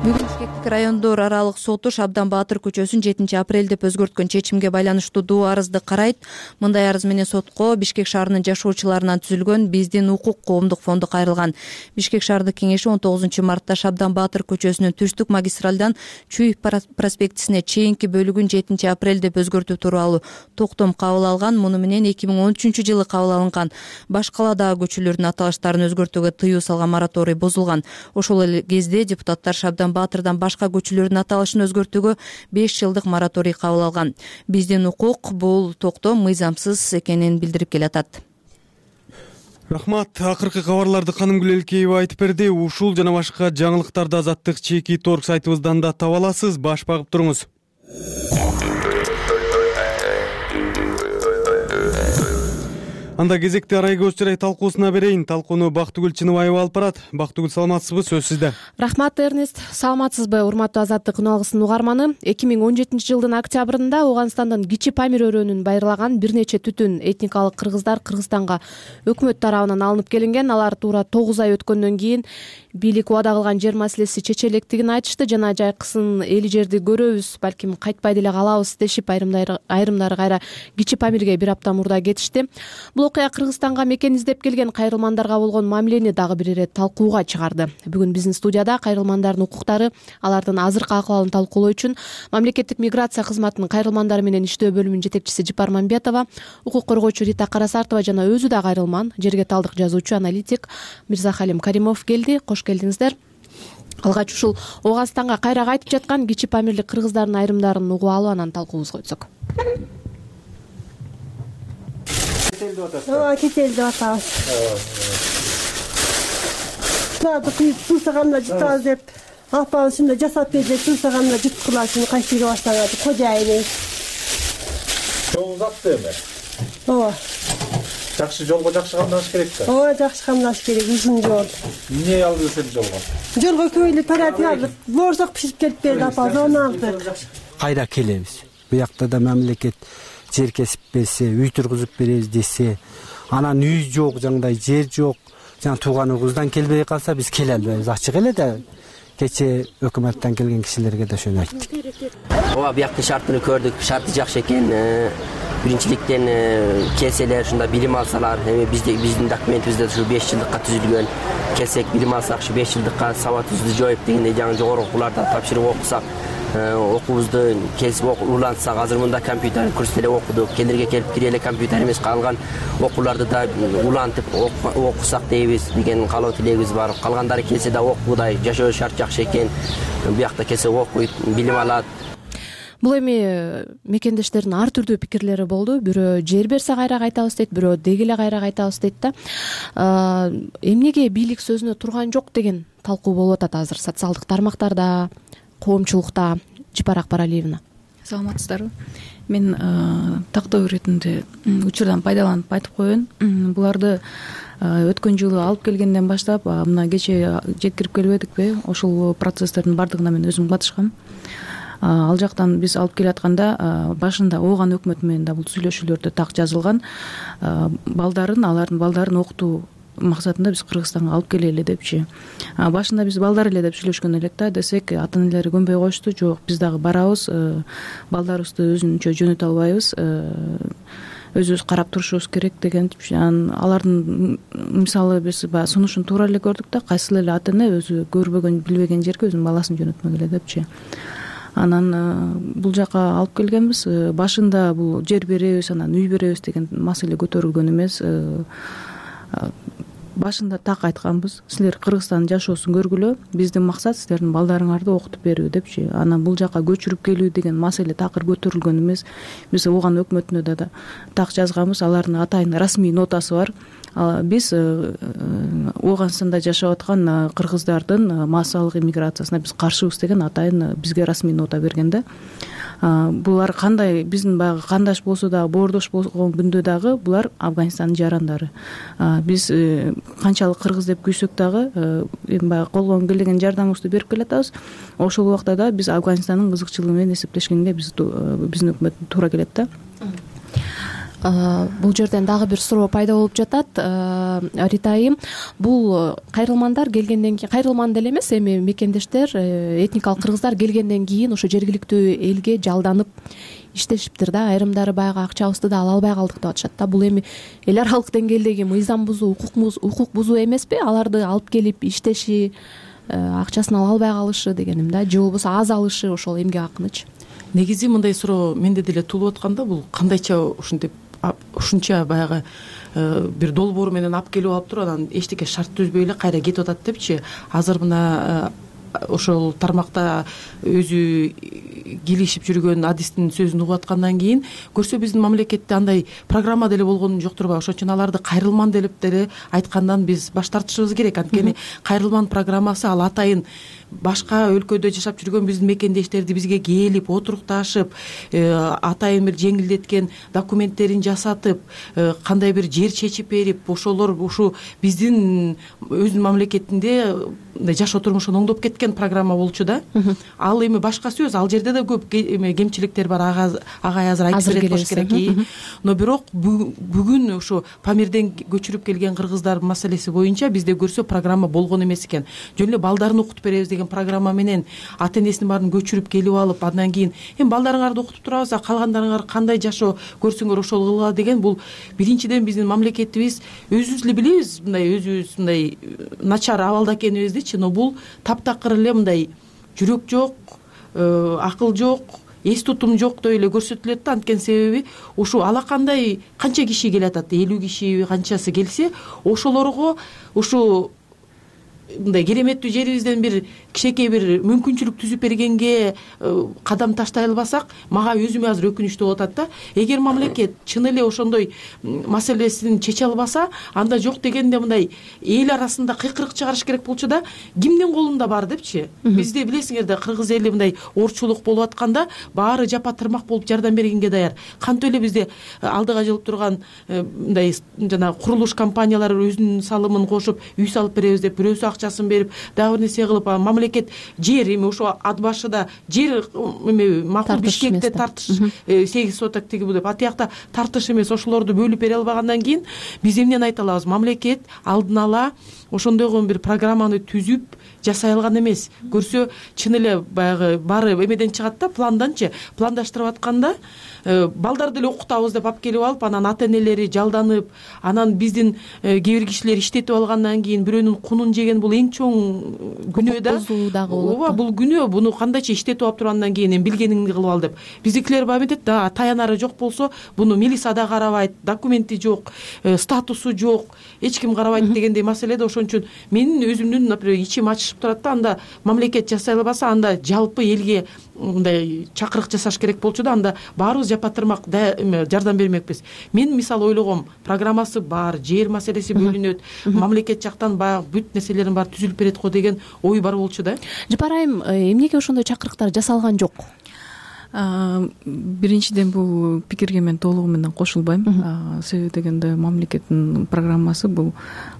Бүгүн Бишкектик райондор аралык соту Шабдан Баатыр көчөсүн 7 апрель деп өзгөрткөн чечимге байланыштуу доо арызды карайт. Мындай арыз менен сотко Бишкек шаарынын жашоочуларынан түзүлгөн Биздин укук коомдук фонду кайрылган. Бишкек шаардык кеңеши 19 мартта Шабдан Баатыр көчөсүнүн түштүк магистралдан Чуев проспектисине чейинки бөлүгүн 7 апрель деп өзгөртүү тууралуу токтом кабыл алган. Муну менен 2013-жылы кабыл алынган баш каладагы көчөлөрдүн аталыштарын өзгөртүүгө тыюу салган мораторий бузулган. Ошол эле кезде депутаттар Шабдан Баатырдан башка көчөлөрдүн аталышын өзгөртүүгө 5 жылдык мораторий кабыл алган. Биздин укук бул токтом мыйзамсыз экенин билдирип келатат. Рахмат. Акыркы кабарларды Канымгүл Элкеева айтып берди. Ушул жана башка жаңылыктарды Азаттык чеки торг сайтыбыздан да таба аласыз. Баш багып туруңуз. Анда кезекти арай көз чырай талкуусуна берейин. Талкууну Бактыгүл Чыныбаева алып барат. Бактыгүл, саламатсызбы? Сөз сизде. Рахмат, Эрнест. Саламатсызбы, урматтуу Азаттык күн алгысынын угарманы? 2017 жылдын октябрында Ооганстандын Кичи Памир өрөөнүн байырлаган бир нече түтүн этникалык кыргыздар Кыргызстанга өкмөт тарабынан алынып келинген. Алар туура 9 ай өткөндөн кийин бийлик убада кылган жер маселеси чечелектигин айтышты жана жайкысын эли жерди көрөбүз, балким кайтпай деле калабыз дешип, айрымдары кайра Кичи Памирге бир апта мурда кетишти. Бул окуя Кыргызстанга мекен издеп келген кайрылмандарга болгон мамилени дагы бир ирет талкууга чыгарды. Бүгүн биздин студияда кайрылмандардын укуктары, алардын азыркы акыбалын талкуулоо үчүн Мамлекеттик миграция кызматынын кайрылмандар менен иштөө бөлүмүнүн жетекчиси Жипар Мамбетова, укук коргоочу Рита Карасартова жана өзү да кайрылман, жерге талдык жазуучу, аналитик Мирзахалим Каримов келди. Кош келдиңиздер. Алгач ушул Ооганстанга кайра кайтып жаткан Кичи Памирлик кыргыздардын айрымдарын угуп алып, анан талкуубузга өтсөк. Кетел деп атабыз. Суларды күйүп туусаганына жытабыз деп, апабыз ушундай жасап берди, туусаганына жыткыла үчүн кайсыга баштаган кожайыны. Жолуңуз атты эми? Ооба. Жакшы жолго жакшы камдаш керек да. Ооба, жакшы камдаш керек, узун жол. Эмне алдыңыз сени жолго? Жолго көйлү парати алып, боорсок пишип келип берди апабыз, оны алдык. Кайра келебиз. Буякта да мамлекет жер кесип берсе, үй тургузуп беребиз десе, анан үй жок, жандай жер жок, жана тууган угуздан келбей калса биз келе албайбыз. Ачык эле да кече өкмөттөн келген кишилерге да ошону айттык. Ооба, бияктын шартын көрдүк. Шарты жакшы экен. Биринчиликтен келселер, ушунда билим алсалар, эми биздин документибизде ушу 5 жылдыкка түзүлгөн. Келсек билим алсак, ушу 5 жылдыкка сабатыбызды жоюп дегендей жаңы жогорку окууларда тапшырып окусак, окуубузду келип улантсак, азыр мында компьютер курс эле окудук. Келерге келип кире эле компьютер эмес, калган окууларды да улантып окусак дейбиз деген каалоо тилегибиз бар. Калгандары келсе да окуудай, жашоо шарт жакшы экен. Буякта келсе окуйт, билим алат. Бул эми мекендештердин ар түрдүү пикирлери болду. Бирөө жер берсе кайра кайтабыз дейт, бирөө деги эле кайра кайтабыз дейт да. Эмнеге бийлик сөзүнө турган жок деген талкуу болуп атат азыр социалдык тармактарда, коомчулукта. Жипар Акбаралиевна. Саламатсыздарбы? Мен тактоо иретинде учурдан пайдаланып айтып коеюн. Буларды өткөн жылы алып келгенден баштап, мына кече жеткирип келбедикпи? Ошол процесстердин бардыгына мен өзүм катышкам. Ал жактан биз алып келатканда башында Ооган өкмөтү менен да бул сүйлөшүүлөрдө так жазылган. Алардын балдарын окутуу максатында биз Кыргызстанга алып келели депчи. Башында биз балдар эле деп сүйлөшкөн элек да, десек ата-энелери көнбөй коюшту. Жок, биз дагы барабыз, балдарыбызды өзүнчө жөнөтө албайбыз, өзүбүз карап турушубуз керек деген. Алардын мисалы биз баягы сунушун туура эле көрдүк да, кайсыл эле ата-эне өзү көрбөгөн, билбеген жерге өзүнүн баласын жөнөтмөгүлө депчи. Анан бул жака алып келгенбиз. Башында бул жер беребиз, анан үй беребиз деген маселе көтөрүлгөн эмес. Башында так айтканбыз, силер Кыргызстандын жашоосун көргүлө, биздин максат силердин балдарыңарды окутуп берүү депчи. Анан бул жака көчүрүп келүү деген маселе такыр көтөрүлгөн эмес. Биз Ооган өкмөтүнө да так жазганбыз, алардын атайын расмий нотасы бар. Биз Ооганстанда жашап аткан кыргыздардын массалык иммиграциясына биз каршыбыз деген атайын бизге расмий нота берген да. Булар кандай, биздин баягы кандаш болсо дагы, боордош болгон күндө дагы булар Афганистандын жарандары. Биз канчалык кыргыз деп күйсөк дагы, эми баягы колдон келген жардамыбызды берип келатабыз. Ошол убакта да биз Афганистандын кызыкчылыгы менен эсептешкенге биздин өкмөт туура келет да. Бул жерден дагы бир суроо пайда болуп жатат. Рита айым, бул кайрылмандар келгенден кийин, кайрылман деле эмес, эми мекендештер, этникалык кыргыздар келгенден кийин ошо жергиликтүү элге жалданып иштешиптир да. Айрымдары баягы акчабызды да ала албай калдык деп атышат да. Бул эми эл аралык деңгээлдеги мыйзам бузуу, укук бузуу эмеспи? Аларды алып келип иштеши, акчасын ала албай калышы дегеним да, же болбосо аз алышы ошол эмгек акынычы. Негизи мындай суроо менде деле туулуп атканда, бул кандайча ушунча баягы бир долбоору менен алып келип алып туруп, анан эчтеке шарт түзбөй эле кайра кетип атат депчи. Азыр мына ошол тармакта өзү килишип жүргөн адистин сөзүн угуп аткандан кийин көрсө биздин мамлекетте андай программа деле болгон жок турбайбы? Ошон үчүн аларды кайрылман деп деле айткандан биз баш тартышыбыз керек. Анткени кайрылман программасы ал атайын башка өлкөдө жашап жүргөн биздин мекендештерди бизге келип отурукташып атайын бир жеңилдеткен документтерин жасатып кандай бир жер чечип берип ошолор ушу биздин өзүнүн мамлекетинде мындай жашоо турмушун оңдоп кеткен программа болчу да. Ал эми башка сөз, ал жерде да көп кемчиликтер бар, агай азыр айтып берет болуш керек. Но бирок бүгүн ушу Памирден көчүрүп келген кыргыздар маселеси боюнча бизде көрсө программа болгон эмес экен. Жөн эле балдарын окутуп беребиз деген программа менен ата энесинин баарын көчүрүп келип алып, андан кийин эми балдарыңарды окутуп турабыз, калгандарыңар кандай жашоо көрсөңөр ошол кылгыла деген, бул биринчиден биздин мамлекетибиз өзүбүз эле билебиз мындай өзүбүз мындай начар абалда экенибизди, но бул таптакыр эле мындай жүрөк жок, акыл жок, эс тутум жок деп эле көрсөтүлөт да. Анткени себеби ушу алакандай канча киши келатат, 50 киши канчасы келсе, ошолорго ушу мындай кереметтүү жерибизден бир кичинекей бир мүмкүнчүлүк түзүп бергенге кадам таштай албасак, мага өзүмө азыр өкүнүчтүү болуп атат да. Эгер мамлекет чын эле ошондой маселесин чече албаса, анда жок дегенде мындай эл арасында кыйкырык чыгарыш керек болчу да. Кимдин колунда бар депчи. Бизде билесиңер да, кыргыз эли мындай оорчулук болуп атканда баары жапа тырмак болуп жардам бергенге даяр. Кантип эле бизде алдыга жылып турган мындай жана курулуш компаниялары өзүнүн салымын кошуп үй салып беребиз деп бирөөсү акчасын берип, дагы бир нерсе кылып, мамлекет жер эми ошо ат башыда жер эме макул Бишкекте тартыш 8 соток тиги бул деп атыякта тартыш эмес, ошолорду бөлүп бере албагандан кийин биз эмнени айта алабыз? Мамлекет алдын ала ошондойго бир программаны түзүп жасай алган эмес. Көрсө чын эле баягы баары эмеден чыгат да, планданчы пландаштырып атканда балдарды эле окутабыз деп алып келип алып, анан ата энелери жалданып, анан биздин кээ бир кишилер иштетип алгандан кийин бирөөнүн кунун жеген, бул эң чоң күнөө да. Ооба, бул күнөө. Буну кандайча иштетип алып тургандан кийин эми билгениңди кылып ал деп. Биздикилер баягы метет да, таянары жок болсо, буну милиция да карабайт, документи жок, статусу жок, эч ким карабайт дегендей маселеде. Ошон үчүн менин өзүмдүн, например, ичим ачышып турат да. Анда мамлекет жасай албаса, анда жалпы элге мындай чакырык жасаш керек болчу да. Анда баарыбыз жапа тырмак жардам бермекпиз. Мен мисалы ойлогом, программасы бар, жер маселеси бөлүнөт, мамлекет жактан баягы бүт нерселерин баары түзүлүп берет го деген ой бар болчу да. Жапар айым, эмнеге ошондой чакырыктар жасалган жок? Биринчиден бул пикирге мен толугу менен кошулбайм. Себеби дегенде мамлекеттин программасы бул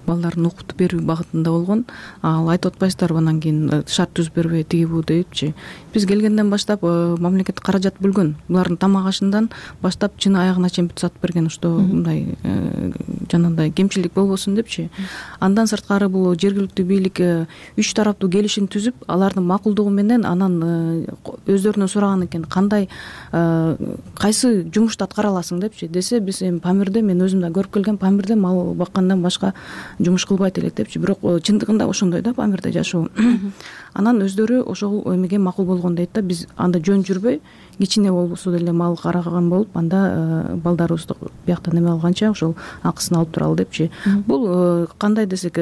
балдарын окутуп берүү багытында болгон. Ал айтып атпайсыздарбы, анан кийин шарт түзүп бербей тиги бу депчи. Биз келгенден баштап мамлекет каражат бөлгөн. Булардын тамак ашынан баштап чын аягына чейин бүт сатып берген, что мындай жанагындай кемчилик болбосун депчи. Андан сырткары бул жергиликтүү бийлик 3 тараптуу келишим түзүп, алардын макулдугу менен анан өздөрүнөн сураган экен, кандай кайсы жумушту аткара аласың депчи. Десе, биз эми Памирде, мен өзүм да көрүп келгем, Памирде мал баккандан башка жумуш кылбайт элек депчи. Бирок чындыгында ошондой да, Памирде жашоо. Анан өздөрү ошол эмеге макул болгон дейт да. Биз анда жөн жүрбөй, кичине болбосо деле мал караган болуп, анда балдарыбызды бияктан эме алганча ошол акысын алып туралы депчи. Бул кандай десек,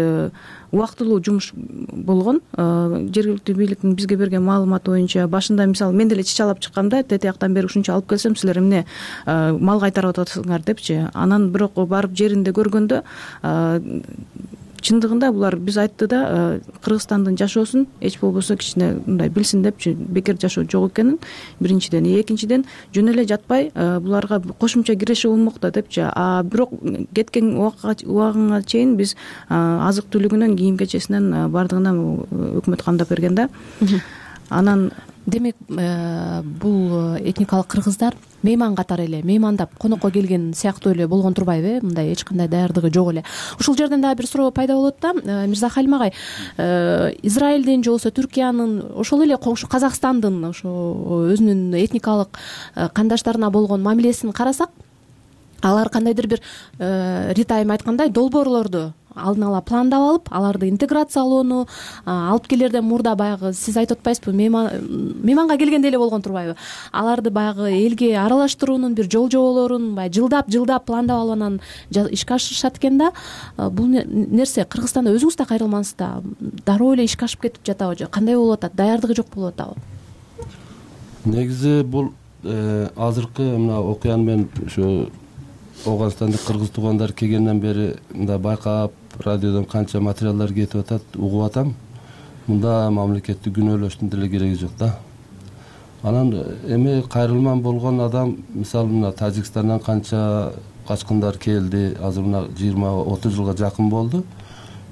убактылуу жумуш болгон. Жергиликтүү бийликтин бизге берген маалыматы боюнча, башында мисалы мен деле чычалап чыккамда, тетияктан бери ушунча алып келсем, силер эмне мал кайтарып атасыңар депчи. Анан бирок барып жеринде көргөндө чындыгында булар биз айтты да, Кыргызстандын жашоосун эч болбосо кичине мындай билсин депчи, бекер жашоо жок экенин биринчиден, экинчиден жөн эле жатпай буларга кошумча киреши болмок да депчи. Бирок кеткен убагыңа чейин биз азык түлүгүнөн, кийим кечесинен бардыгынан өкмөт камдап берген да. Анан демек бул этникалык кыргыздар мейман катары эле меймандап конокко келген сыяктуу эле болгон турбайбы? Мындай эч кандай даярдыгы жок эле. Ушул жерден дагы бир суроо пайда болот да. Мирза Халим агай, Израилдин же болбосо Түркиянын, ошол эле коңшу Казакстандын ошо өзүнүн этникалык кандаштарына болгон мамилесин карасак, алар кандайдыр бир Рита айым айткандай долбоорлорду алдын ала пландап алып, аларды интеграциялоону алып келерден мурда баягы сиз айтып атпайсызбы, мейманга келгенде эле болгон турбайбы? Аларды баягы элге аралаштыруунун бир жол жоболорун жылдап пландап алып анан ишке ашырышат экен да. Бул нерсе Кыргызстанда өзүңүз да кайрылмаңыз да, дароо эле ишке ашып кетип жатабы же кандай болуп атат? Даярдыгы жок болуп атабы? Негизи бул азыркы мына окуяны мен ушу Оганстандык кыргыз туугандар келгенден бери мындай байкап, радиодон канча материалдар кетип атат, угуп атам. мында мамлекетти күнөөлөштүн деле кереги жок да. Анан эми кайрылман болгон адам, мисалы мына Тажикстандан канча качкындар келди, азыр мына 20-30 жылга жакын болду.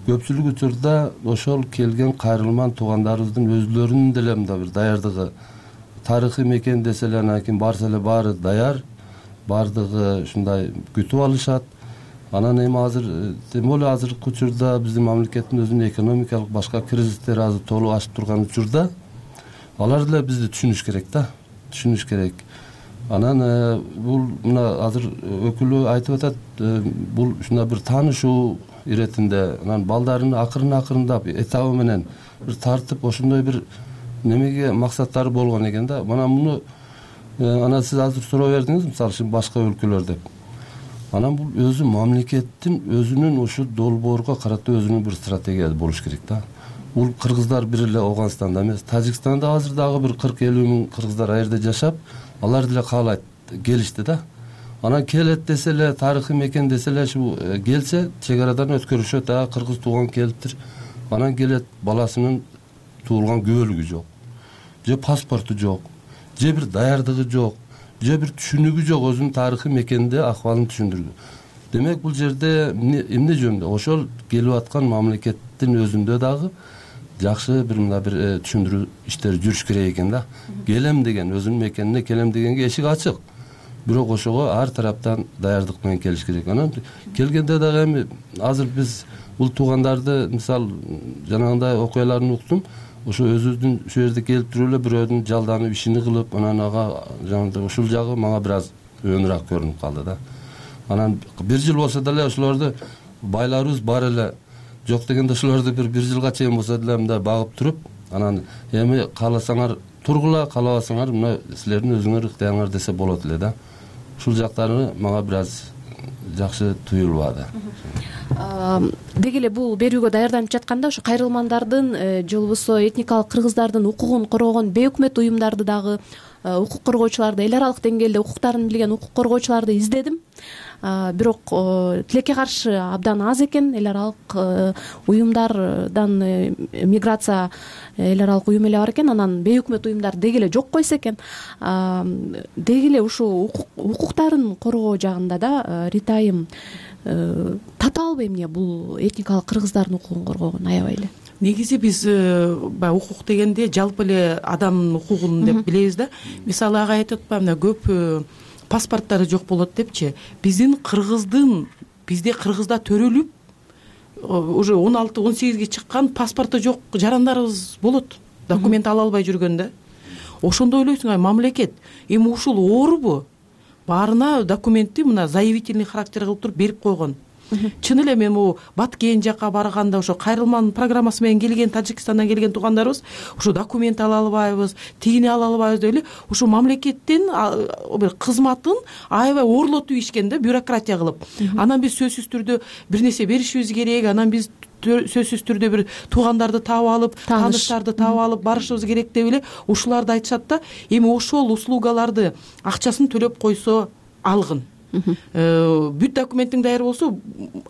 Көпчүлүк учурда ошол келген кайрылман туугандарыбыздын өзлөрүнүн деле мында бир даярдыгы, тарыхый мекен десе эле анан кийин барса эле баары даяр, баардыгы ушундай күтүп алышат. Анан эми азыр тем более азыркы учурда биздин мамлекеттин өзүнүн экономикалык башка кризистери азыр толук ашып турган учурда алар деле бизди түшүнүш керек да, түшүнүш керек. Анан бул мына азыр өкүлү айтып атат, бул ушундай бир таанышуу иретинде, анан балдарын акырындап этабы менен бир тартып ошондой бир немеге максаттары болгон экен да. Мына муну анан сиз азыр суроо бердиңиз, мисалы үчүн башка өлкөлөрдө деп. Анан бул өзү мамлекеттин өзүнүн ушу долбоорго карата өзүнүн бир стратегиясы болуш керек да. Бул кыргыздар бир эле Ооганстанда эмес, Тажикстанда азыр дагы бир 40-50 миң кыргыздар ал жерде жашап, алар деле каалайт, келишти да. Анан келет десе эле, тарыхый мекен десе эле, келсе чек арадан өткөрүшөт, кыргыз тууган келиптир. Анан келет, баласынын туулган күбөлүгү жок, же паспорту жок, же бир даярдыгы жок, же бир түшүнүгү жок, өзүнүн тарыхый мекенде акыбалын түшүндүрдү. Демек бул жерде эмне жөнүндө? Ошол келип аткан мамлекеттин өзүндө дагы жакшы бир мына бир түшүндүрүү иштери жүрүш керек экен да. Келем деген, өзүнүн мекенине келем дегенге эшик ачык. Бирок ошого ар тараптан даярдык менен келиш керек. Анан келгенде дагы эми азыр биз бул туугандарды, мисалы жанагындай окуяларын уктум, ошо өзүбүздүн ушул жерде келип туруп эле бирөөдүн жалданып ишини кылып, анан ага жанагындай ушул жагы мага бир аз өөнүрөөк көрүнүп калды да. Анан 1 жыл болсо деле ошолорду байларыбыз бар эле, жок дегенде ошолорду бир жылга чейин болсо деле мындай багып туруп, анан эми кааласаңар тургула, каалабасаңар мына силердин өзүңөр ыктыярыңар десе болот эле да. Ушул жактары мага бир аз жакшы туюлбады. Деги эле бул берүүгө даярданып жатканда ошо кайрылмандардын же болбосо этникалык кыргыздардын укугун коргогон бейөкмөт уюмдарды дагы, укук коргоочуларды, эл аралык деңгээлде укуктарын билген укук коргоочуларды издедим. Бирок тилекке каршы абдан аз экен. Эл аралык уюмдардан миграция эл аралык уюм эле бар экен, анан бейөкмөт уюмдар деги эле жок койсо экен. Деги эле ушул укуктарын коргоо жагында да Рита айым татаалбы эмне бул этникалык кыргыздардын укугун коргогон аябай эле? Негизи биз баягы укук дегенде жалпы эле адамдын укугун деп билебиз да. Мисалы ага айтып атпаймынбы, көп паспорттары жок болот депчи. Биздин кыргыздын, бизде кыргызда төрөлүп уже 16-18ге чыккан паспорту жок жарандарыбыз болот. Документ ала албай жүргөндө. Ошондо ойлойсуң, мамлекет эми ушул оорубу? Баарына документти мына заявительный характер кылып туруп берип койгон. Чын эле мен Баткен жака барганда ошо кайрылман программасы менен келген Тажикстандан келген туугандарыбыз ошо документ ала албайбыз, тигини ала албайбыз деп эле ошо мамлекеттин бир кызматын аябай оорлотуп ишкен да, бюрократия кылып. Анан биз сөзсүз түрдө бир нерсе беришибиз керек, анан биз сөзсүз түрдө бир туугандарды таап алып, тааныштарды таап алып барышыбыз керек деп эле ушуларды айтышат да. Эми ошол услугаларды акчасын төлөп койсо алгын. Бүт документиң даяр болсо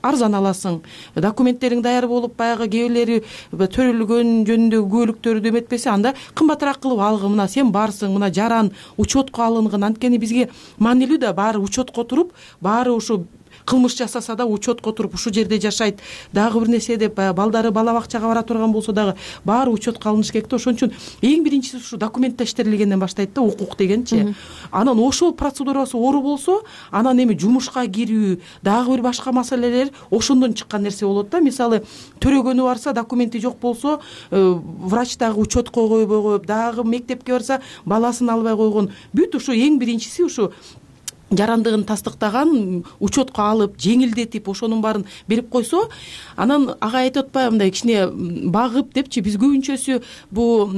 арзан аласың. Документтериң даяр болуп, баягы кээ бирлери төрөлгөн жөнүндөгү күбөлүктөрдү эметпесе, анда кымбатыраак кылып алгын. Мына сен барсың, мына жаран учетко алынган. Анткени бизге маанилүү да, баары учетко туруп, баары ушу кылмыш жасаса да учетко туруп ушул жерде жашайт. Дагы бир нерсе деп балдары бала бакчага бара турган болсо дагы баары учетко алыныш керек да. Ошон үчүн эң биринчиси ушу документтештирилгенден баштайт да, укук дегенчи. Анан ошол процедурасы оору болсо, анан эми жумушка кирүү, дагы бир башка маселелер ошондон чыккан нерсе болот да. Мисалы төрөгөнү барса, документи жок болсо, врач дагы учетко койбой коюп, дагы мектепке барса, баласын албай койгон. Бүт ушу эң биринчиси ушу жарандыгын тастыктаган, учетко алып, жеңилдетип, ошонун баарын берип койсо, анан ага айтып атпайбы, мындай кичине багып депчи, биз көбүнчөсү бул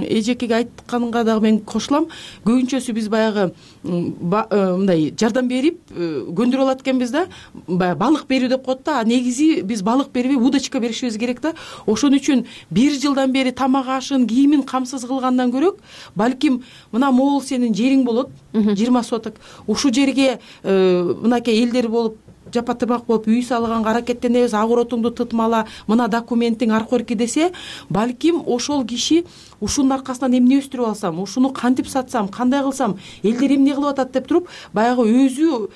эжекеге айтканга дагы мен кошулам. Көбүнчөсү биз баягы мындай жардам берип көндүрүп алат экенбиз да, баягы балык берүү деп коет да. Негизи биз балык бербей удочка беришибиз керек да. Ошон үчүн 1 жылдан бери тамак ашын, кийимин камсыз кылгандан көрөк, балким мына могул сенин жериң болот, 20 соток. Ушу жерге мынакей элдер болуп жапа тырмак болуп үй салганга аракеттенебиз, огородуңду тытмала, мына документиң аркорки десе, балким ошол киши ушунун аркасынан эмне өстүрүп алсам, ушуну кантип сатсам, кандай кылсам, элдер эмне кылып атат деп туруп, баягы өзү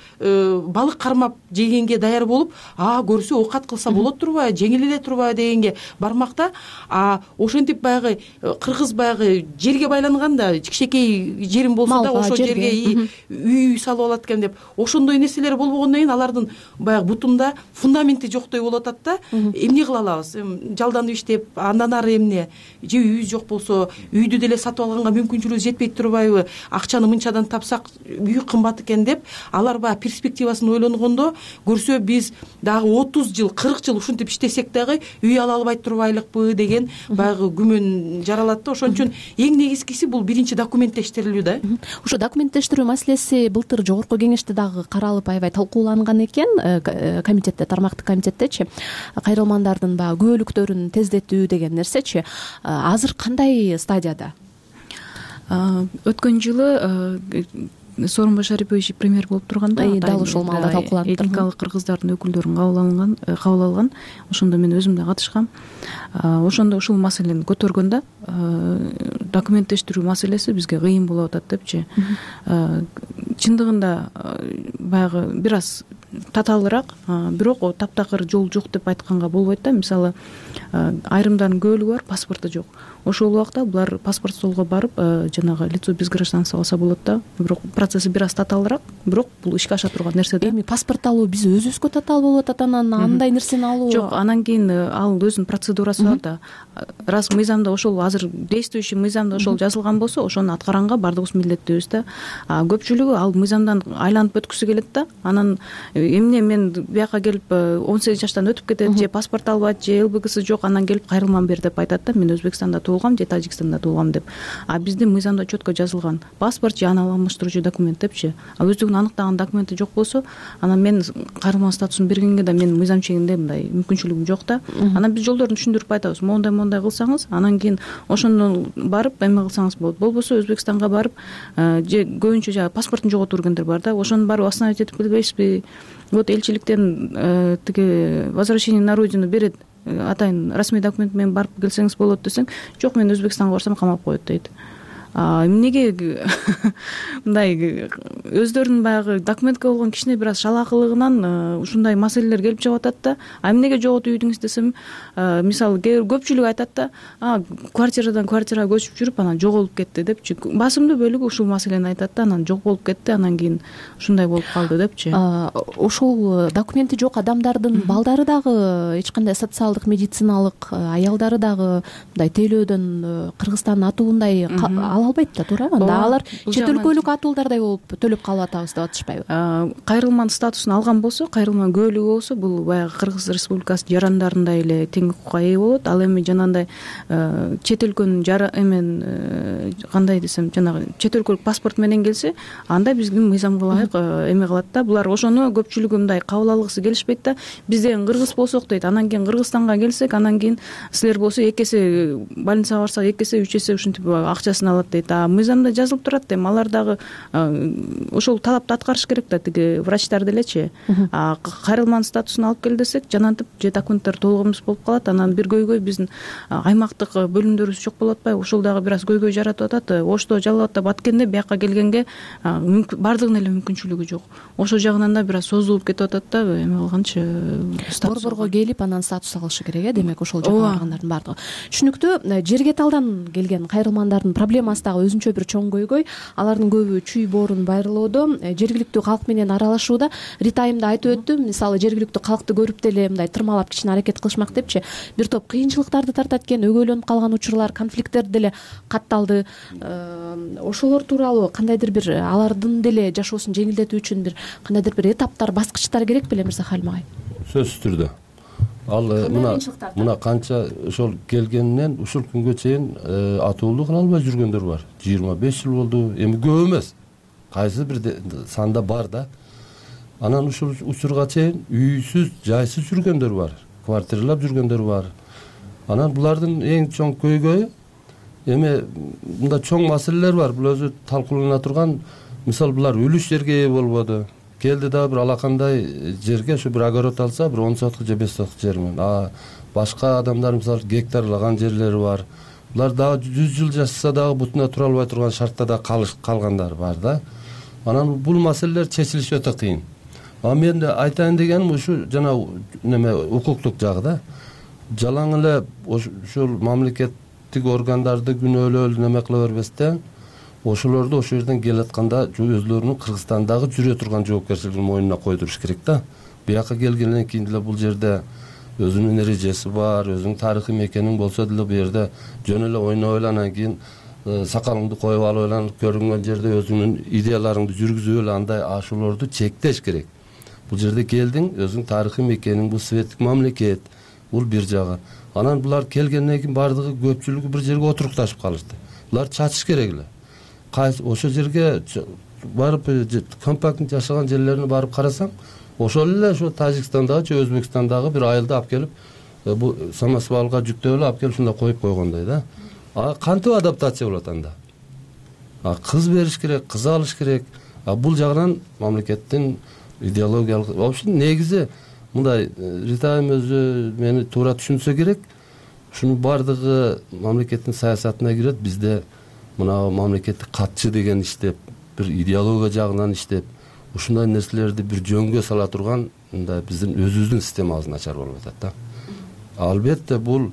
балык кармап жегенге даяр болуп, көрсө оокат кылса болот турбайбы, жеңил эле турбайбы дегенге бармакта. Ошентип баягы кыргыз баягы жерге байланган да, кичинекей жерим болсо да ошол жерге үй салып алат экен деп, ошондой нерселер болбогондон кийин алардын баягы бутунда фундаменти жоктой болуп атат да. Эмне кыла алабыз? Жалданып иштеп, андан ары эмне? Же үйүбүз жок болсо, үйдү деле сатып алганга мүмкүнчүлүгүбүз жетпей турбайбы? Акчаны мынчадан тапсак үй кымбат экен деп, алар баягы перспективасын ойлонгондо көрсө биз дагы 30 жыл, 40 жыл ушинтип иштесек дагы үй ала албай турбайлыкпы деген баягы күмөн жаралат да. Ошон үчүн эң негизгиси бул биринчи документтештирилүү да. Ошо документтештирүү маселеси былтыр жогорку кеңеште дагы каралып аябай талкууланган экен, комитетте, тармактык комитеттечи, кайрылмандардын баягы күбөлүктөрүн тездетүү деген нерсечи. Азыр кандай стадияда? Өткөн жылы Сооронбай Шарипович премьер болуп турганда дал ошол маалда талкууланып этникалык кыргыздардын өкүлдөрүн кабыл алган. Ошондо мен өзүм да катышкам. Ошондо ушул маселени көргөндө документтештирүү маселеси бизге кыйын болуп атат депчи. Чындыгында баягы бир аз татаалыраак, бирок таптакыр жол жок деп айтканга болбойт да. Мисалы, айрымдардын көбөлүгү бар, паспорту жок. Ошол убакта булар паспорт столго барып, жанагы лицо без гражданства алса болот да. Бирок процесси бир аз татаалыраак, бирок бул ишке аша турган нерсе да. Эми паспорт алуу биз өзүбүзгө татаал болуп атат, анан андай нерсени алуу жок. Анан кийин ал өзүнүн процедурасы бар да. Раз мыйзамда ошол азыр действующий мыйзамда ошол жазылган болсо, ошону аткаранга бардыгыбыз милдеттүүбүз да. Көпчүлүгү ал мыйзамдан айланып өткүсү келет да. Анан эмне мен бияка келип 18 жаштан өтүп кетет, же паспорт албайт, же ЛБГсы жок, анан келип кайрылмам бер деп айтат да. Мен Өзбекстанда туулгам же Тажикстанда туулгам деп. Биздин мыйзамда четко жазылган паспорт же аны алмаштыруучу документ депчи. Өздүгүн аныктаган документи жок болсо, анан мен кайрылма статусун бергенге да менин мыйзам чегинде мындай мүмкүнчүлүгүм жок да. Анан биз жолдорун түшүндүрүп айтабыз. Мондай кылсаңыз, анан кийин ошондон барып эме кылсаңыз болот. Болбосо Өзбекстанга барып, же көбүнчө жана паспортун жоготуп жүргөндөр бар да. Ошону барып остановить этип келбейсизби? Вот элчиликтен тиги возвращение на родину берет, атайын расмий документ менен барып келсеңиз болот десең, жок, мен Өзбекстанга барсам камап коет дейт. Эмнеге мындай өздөрүнүн баягы документке болгон кичине бир аз шалаакылыгынан ушундай маселелер келип чыгып атат да. Эмнеге жоготуп үйдүңүз десем, мисалы көпчүлүк айтат да, квартирадан квартирага көчүп жүрүп анан жоголуп кетти депчи. Басымдуу бөлүгү ушул маселени айтат да, анан жоголуп кетти, анан кийин ушундай болуп калды депчи. Ошол документи жок адамдардын балдары дагы эч кандай социалдык, медициналык, аялдары дагы мындай тейлөөдөн Кыргызстандын атуундай ала албайт да, туура? Анда алар чет өлкөлүк атуулдардай болуп төлөп калып атабыз деп атышпайбы? Кайрылманын статусун алган болсо, кайрылманын көбөлүгү болсо, бул баягы Кыргыз Республикасы жарандарындай эле тең укукка ээ болот. Ал эми жанагындай чет өлкөнүн кандай десем, жанагы чет өлкөлүк паспорт менен келсе, анда биздин мыйзамга ылайык эме кылат да. Булар ошону көпчүлүгү мындай кабыл алгысы келишпейт да. Биз деген кыргыз болсок дейт, анан кийин Кыргызстанга келсек, анан кийин силер болсо 2 эсе больницага барсак 2 эсе, 3 эсе ушинтип акчасын алат дейт. Мыйзамда жазылып турат эми, алар дагы ошол талапты аткарыш керек да, тиги врачтар делечи. Кайрылманын статусун алып кел десек, жанантип же документтер толук эмес болуп калат. Анан бир көйгөй биздин аймактык бөлүмдөрүбүз жок болуп атпайбы? Ошол дагы бир аз көйгөй жаратып атат. Ошто жалал атап аткенде бияка келгенге бардыгынын эле мүмкүнчүлүгү жок. Ошол жагынан да бир аз созулуп кетип атат да, эме кылганчы. Борборго келип анан статус алышы керек, демек ошол жака баргандардын бардыгы. Түшүнүктүү. Жерге талдан келген кайрылмандардын проблемасы дагы өзүнчө бир чоң көйгөй. Алардын көбү чүй боорун байрылоодо, жергиликтүү калк менен аралашууда. Рита айымда айтып өттү, мисалы жергиликтүү калкты көрүп деле мындай тырмалап кичине аракет кылышмак депчи. Бир топ кыйынчылыктарды тартат экен, өгөйлөнүп калган учурлар, конфликттер деле катталды. Ошолор тууралуу кандайдыр бир алардын деле жашоосун жеңилдетүү үчүн бир кандайдыр бир этаптар, баскычтар керек беле Мырза Халим агай? Сөзсүз түрдө. Ал мына канча ошол келгенинен ушул күнгө чейин атуулдук кыла албай жүргөндөр бар. 25 жыл болду. Эми көп эмес. Кайсы бир санда бар да. Анан ушул учурга чейин үйсүз, жайсыз жүргөндөр бар. Квартиралап жүргөндөр бар. Анан булардын эң чоң көйгөйү эми мында чоң маселелер бар. Бул өзү талкуулана турган. Мисалы булар үлүш жерге ээ болбоду. келди дагы бир алакандай жерге ушу бир огород алса бир 10 соток же 5 соток жер менен, а башка адамдар мисалы гектарлаган жерлери бар. Булар дагы 100 жыл жашаса дагы бутуна тура албай турган шартта да калгандар бар да. Анан бул маселелер чечилиши өтө кыйын. Мен айтайын дегеним ушу жана неме укуктук жагы да. Жалаң эле ушул мамлекеттик органдарды күнөөлөө неме кыла бербестен, ошолорду ошол жерден келатканда өзлөрүнүн Кыргызстандагы жүрө турган жоопкерчилигин мойнуна койдуруш керек да. Бияка келгенден кийин деле бул жерде өзүнүн эрежеси бар, өзүнүн тарыхый мекениң болсо деле бу жерде жөн эле ойноп эле анан кийин сакалыңды коюп алып эле көрүнгөн жерде өзүңүн идеяларыңды жүргүзүп эле андай ошолорду чектеш керек. Бул жерде келдиң, өзүң тарыхый мекениң, бул светтик мамлекет, бул бир жагы. Анан булар келгенден кийин бардыгы көпчүлүгү бир жерге отурукташып калышты. Булар чачыш керек эле. Ошол жерге барып компактный жашаган жерлерине барып карасаң, ошол эле ошо Тажикстандагы же Өзбекстандагы бир айылды алып келип, бул самосвалга жүктөп эле алып келип ушунда коюп койгондой да. Кантип адаптация болот анда? Кыз бериш керек, кыз алыш керек. Бул жагынан мамлекеттин идеологиялык, вообще негизи мындай Ритайым өзү мени туура түшүнсө керек. Ушунун бардыгы мамлекеттин саясатына кирет. Бизде мына мамлекеттик катчы деген иштеп, бир идеология жагынан иштеп, ушундай нерселерди бир жөнгө сала турган мындай биздин өзүбүздүн системабыз начар болуп атат да. Албетте бул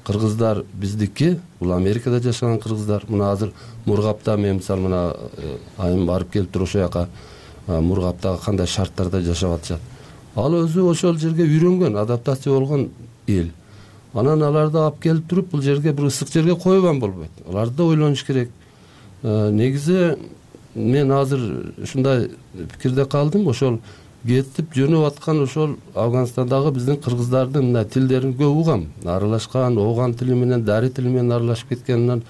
кыргыздар биздики, бул Америкада жашаган кыргыздар. Мына азыр Мургапта мен мисалы мына айым барып келип туруп ошол жака Мургаптагы кандай шарттарда жашап атышат. Ал өзү ошол жерге үйрөнгөн, адаптация болгон эл. Анан аларды алып келип туруп бул жерге бир ысык жерге койгон болбойт. Аларды да ойлонуш керек. Негизи мен азыр ушундай пикирде калдым. Ошол кетип жөнөп аткан ошол Афганстандагы биздин кыргыздардын мына тилдерин көп угам. Аралашкан, ооган тили менен, дари тили менен аралашып кеткенинен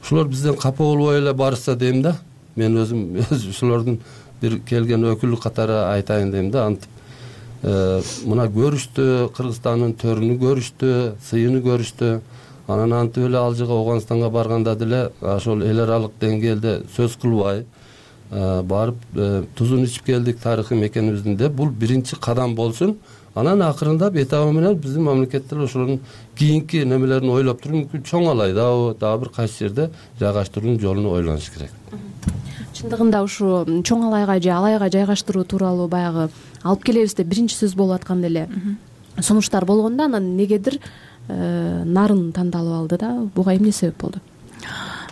ошолор бизден капа болбой эле барышса дейм да. Мен өзүм ошолордун бир келген өкүлү катары айтайын дейм да. Антип мына көрүштү, Кыргызстандын төрүнү көрүштү, сыйыны көрүштү. Анан антип эле ал жака Афганистанга барганда деле ошол эл аралык деңгээлде сөз кылбай барып тузун ичип келдик тарыхый мекенибиздин деп, бул биринчи кадам болсун. Анан акырындап этабы менен биздин мамлекеттер ошонун кийинки немелерин ойлоп туруп, мүмкүн чоң алайда дагы бир кайсы жерде жайгаштыруунун жолун ойлонуш керек. Чындыгында ушу чоң алайга же алайга жайгаштыруу тууралуу баягы алып келебиз деп биринчи сөз болуп атканда эле сунуштар болгондо анан негедир нарын тандалып алды да. Буга эмне себеп болду?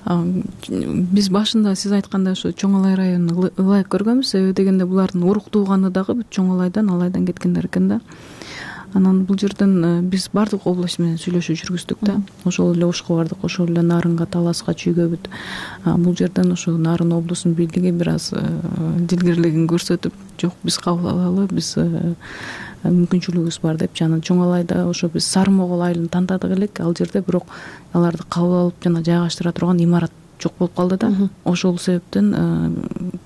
Биз башында сиз айткандай ошо Чоң Алай районун ылайык көргөнбүз. Себеби дегенде булардын урук тууганы дагы бүт Чоң Алайдан кеткендер экен да. Анан бул жерден биз бардык область менен сүйлөшүү жүргүздүк да. Ошол эле Ошко бардык, ошол эле Нарынга, Таласка, Чүйгө бүт. Бул жерден ошо Нарын облусунун бийлиги бир аз дилгирлигин көрсөтүп, жок биз кабыл алалы, биз мүмкүнчүлүгүбүз бар деп. Жана Чоң Алайда ошо биз Сары Могол айылын тандадык элек, ал жерде бирок аларды кабыл алып жана жайгаштыра турган имарат жок болуп калды да. Ошол себептен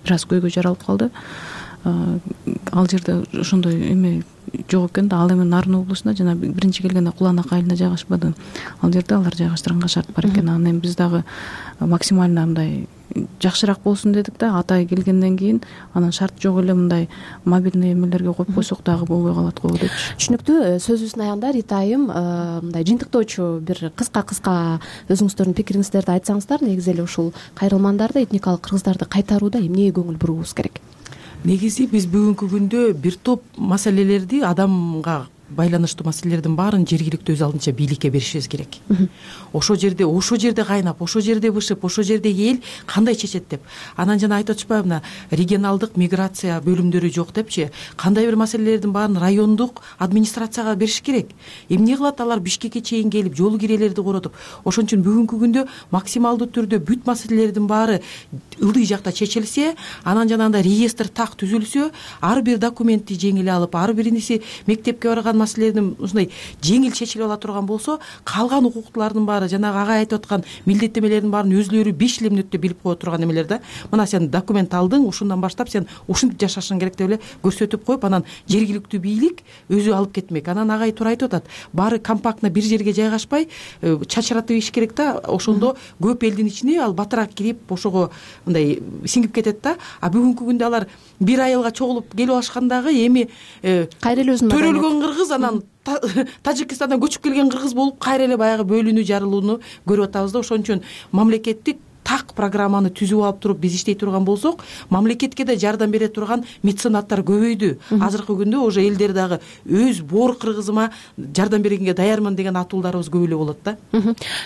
бир аз көйгөй жаралып калды. Ал жерде ошондой эме жок экен да. Ал эми Нарын облусунда жана биринчи келгенде Куланак айылына жайгашпады. Ал жерде алар жайгаштырганга шарт бар экен. Анан эми биз дагы максимально мындай жакшыраак болсун дедик да. Атай келгенден кийин анан шарт жок эле мындай мобильный эмелерге коюп койсок дагы болбой калат го депчи. Түшүнүктүү. Сөзүбүздүн аягында Ритайым мындай жыйынтыктоочу бир кыска өзүңүздөрдүн пикириңиздерди айтсаңыздар, негизи эле ушул кайрылмандарды, этникалык кыргыздарды кайтарууда эмнеге көңүл буруубуз керек? Негизи биз бүгүнкү күндө бир топ маселелерди, адамга байланыштуу маселелердин баарын жергиликтүү өз алдынча бийликке беришибиз керек. Ошол жерде кайнап, ошол жерде бышып, ошол жердеги эл кандай чечет деп. Анан жана айтып атышпайбы, мына регионалдык миграция бөлүмдөрү жок депчи. Кандай бир маселелердин баарын райондук администрацияга бериш керек. Эмне кылат алар Бишкекке чейин келип, жол кирелерди коротуп. Ошон үчүн бүгүнкү күндө максималдуу түрдө бүт маселелердин баары ылдый жакта чечилсе, анан жанагындай реестр так түзүлсө, ар бир документти жеңил алып, ар бириниси мектепке барган маселелердин ушундай жеңил чечилип ала турган болсо, калган укуктуулардын баары жанагы ага айтып аткан милдеттемелердин баарын өзүлөрү 5 жыл мүнөттө билип кое турган эмелер да. Мына сен документ алдың, ушундан баштап сен ушинтип жашашың керек деп эле көрсөтүп коюп, анан жергиликтүү бийлик өзү алып кетмек. Анан агай туура айтып атат. Баары компактно бир жерге жайгашпай, чачыратып иш керек да. Ошондо көп элдин ичине ал батыраак кирип, ошого мындай сиңип кетет да. А бүгүнкү күндө алар бир айылга чогулуп келип алышкандагы эми кайра эле өзүнүн төрөлгөн кыргыз, анан Тажикстандан көчүп келген кыргыз болуп кайра эле баягы бөлүнүү, жарылууну көрүп атабыз да. Ошон үчүн мамлекеттик так программаны түзүп алып туруп биз иштей турган болсок, мамлекетке да жардам бере турган меценаттар көбөйдү. Азыркы күндө уже элдер дагы өз боор кыргызыма жардам бергенге даярмын деген атуулдарыбыз көп эле болот да.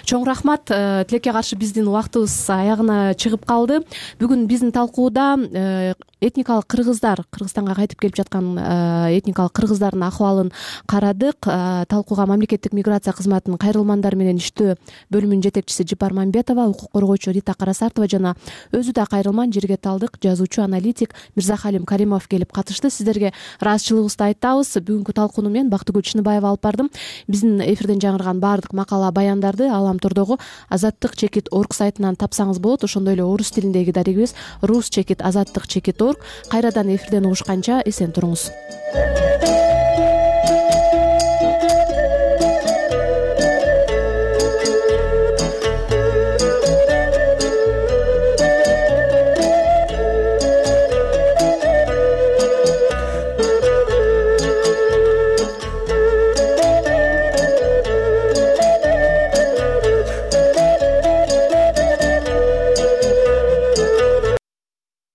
Чоң рахмат. Тилекке каршы биздин убактыбыз аягына чыгып калды. Бүгүн биздин талкууда этникалык кыргыздар, Кыргызстанга кайтып келип жаткан этникалык кыргыздардын акыбалын карадык. Талкууга мамлекеттик миграция кызматынын кайрылмандар менен иштөө бөлүмүнүн жетекчиси Жипар Мамбетова, укук коргоочу Рита Карасартова жана өзү да кайрылман жерге талдык жазуучу, аналитик Мирзахалим Каримов келип катышты. Сиздерге ыраазычылыгыбызды айтабыз. Бүгүнкү талкууну мен Бактыгүл Чыныбаева алып бардым. Биздин эфирден жаңырган баардык макала, баяндарды Аламтордогу azattik.org сайтынан тапсаңыз болот. Ошондой эле орус тилиндеги дарегибиз rus.azattik.org. Кайрадан эфирден угушканча эсен туруңуз.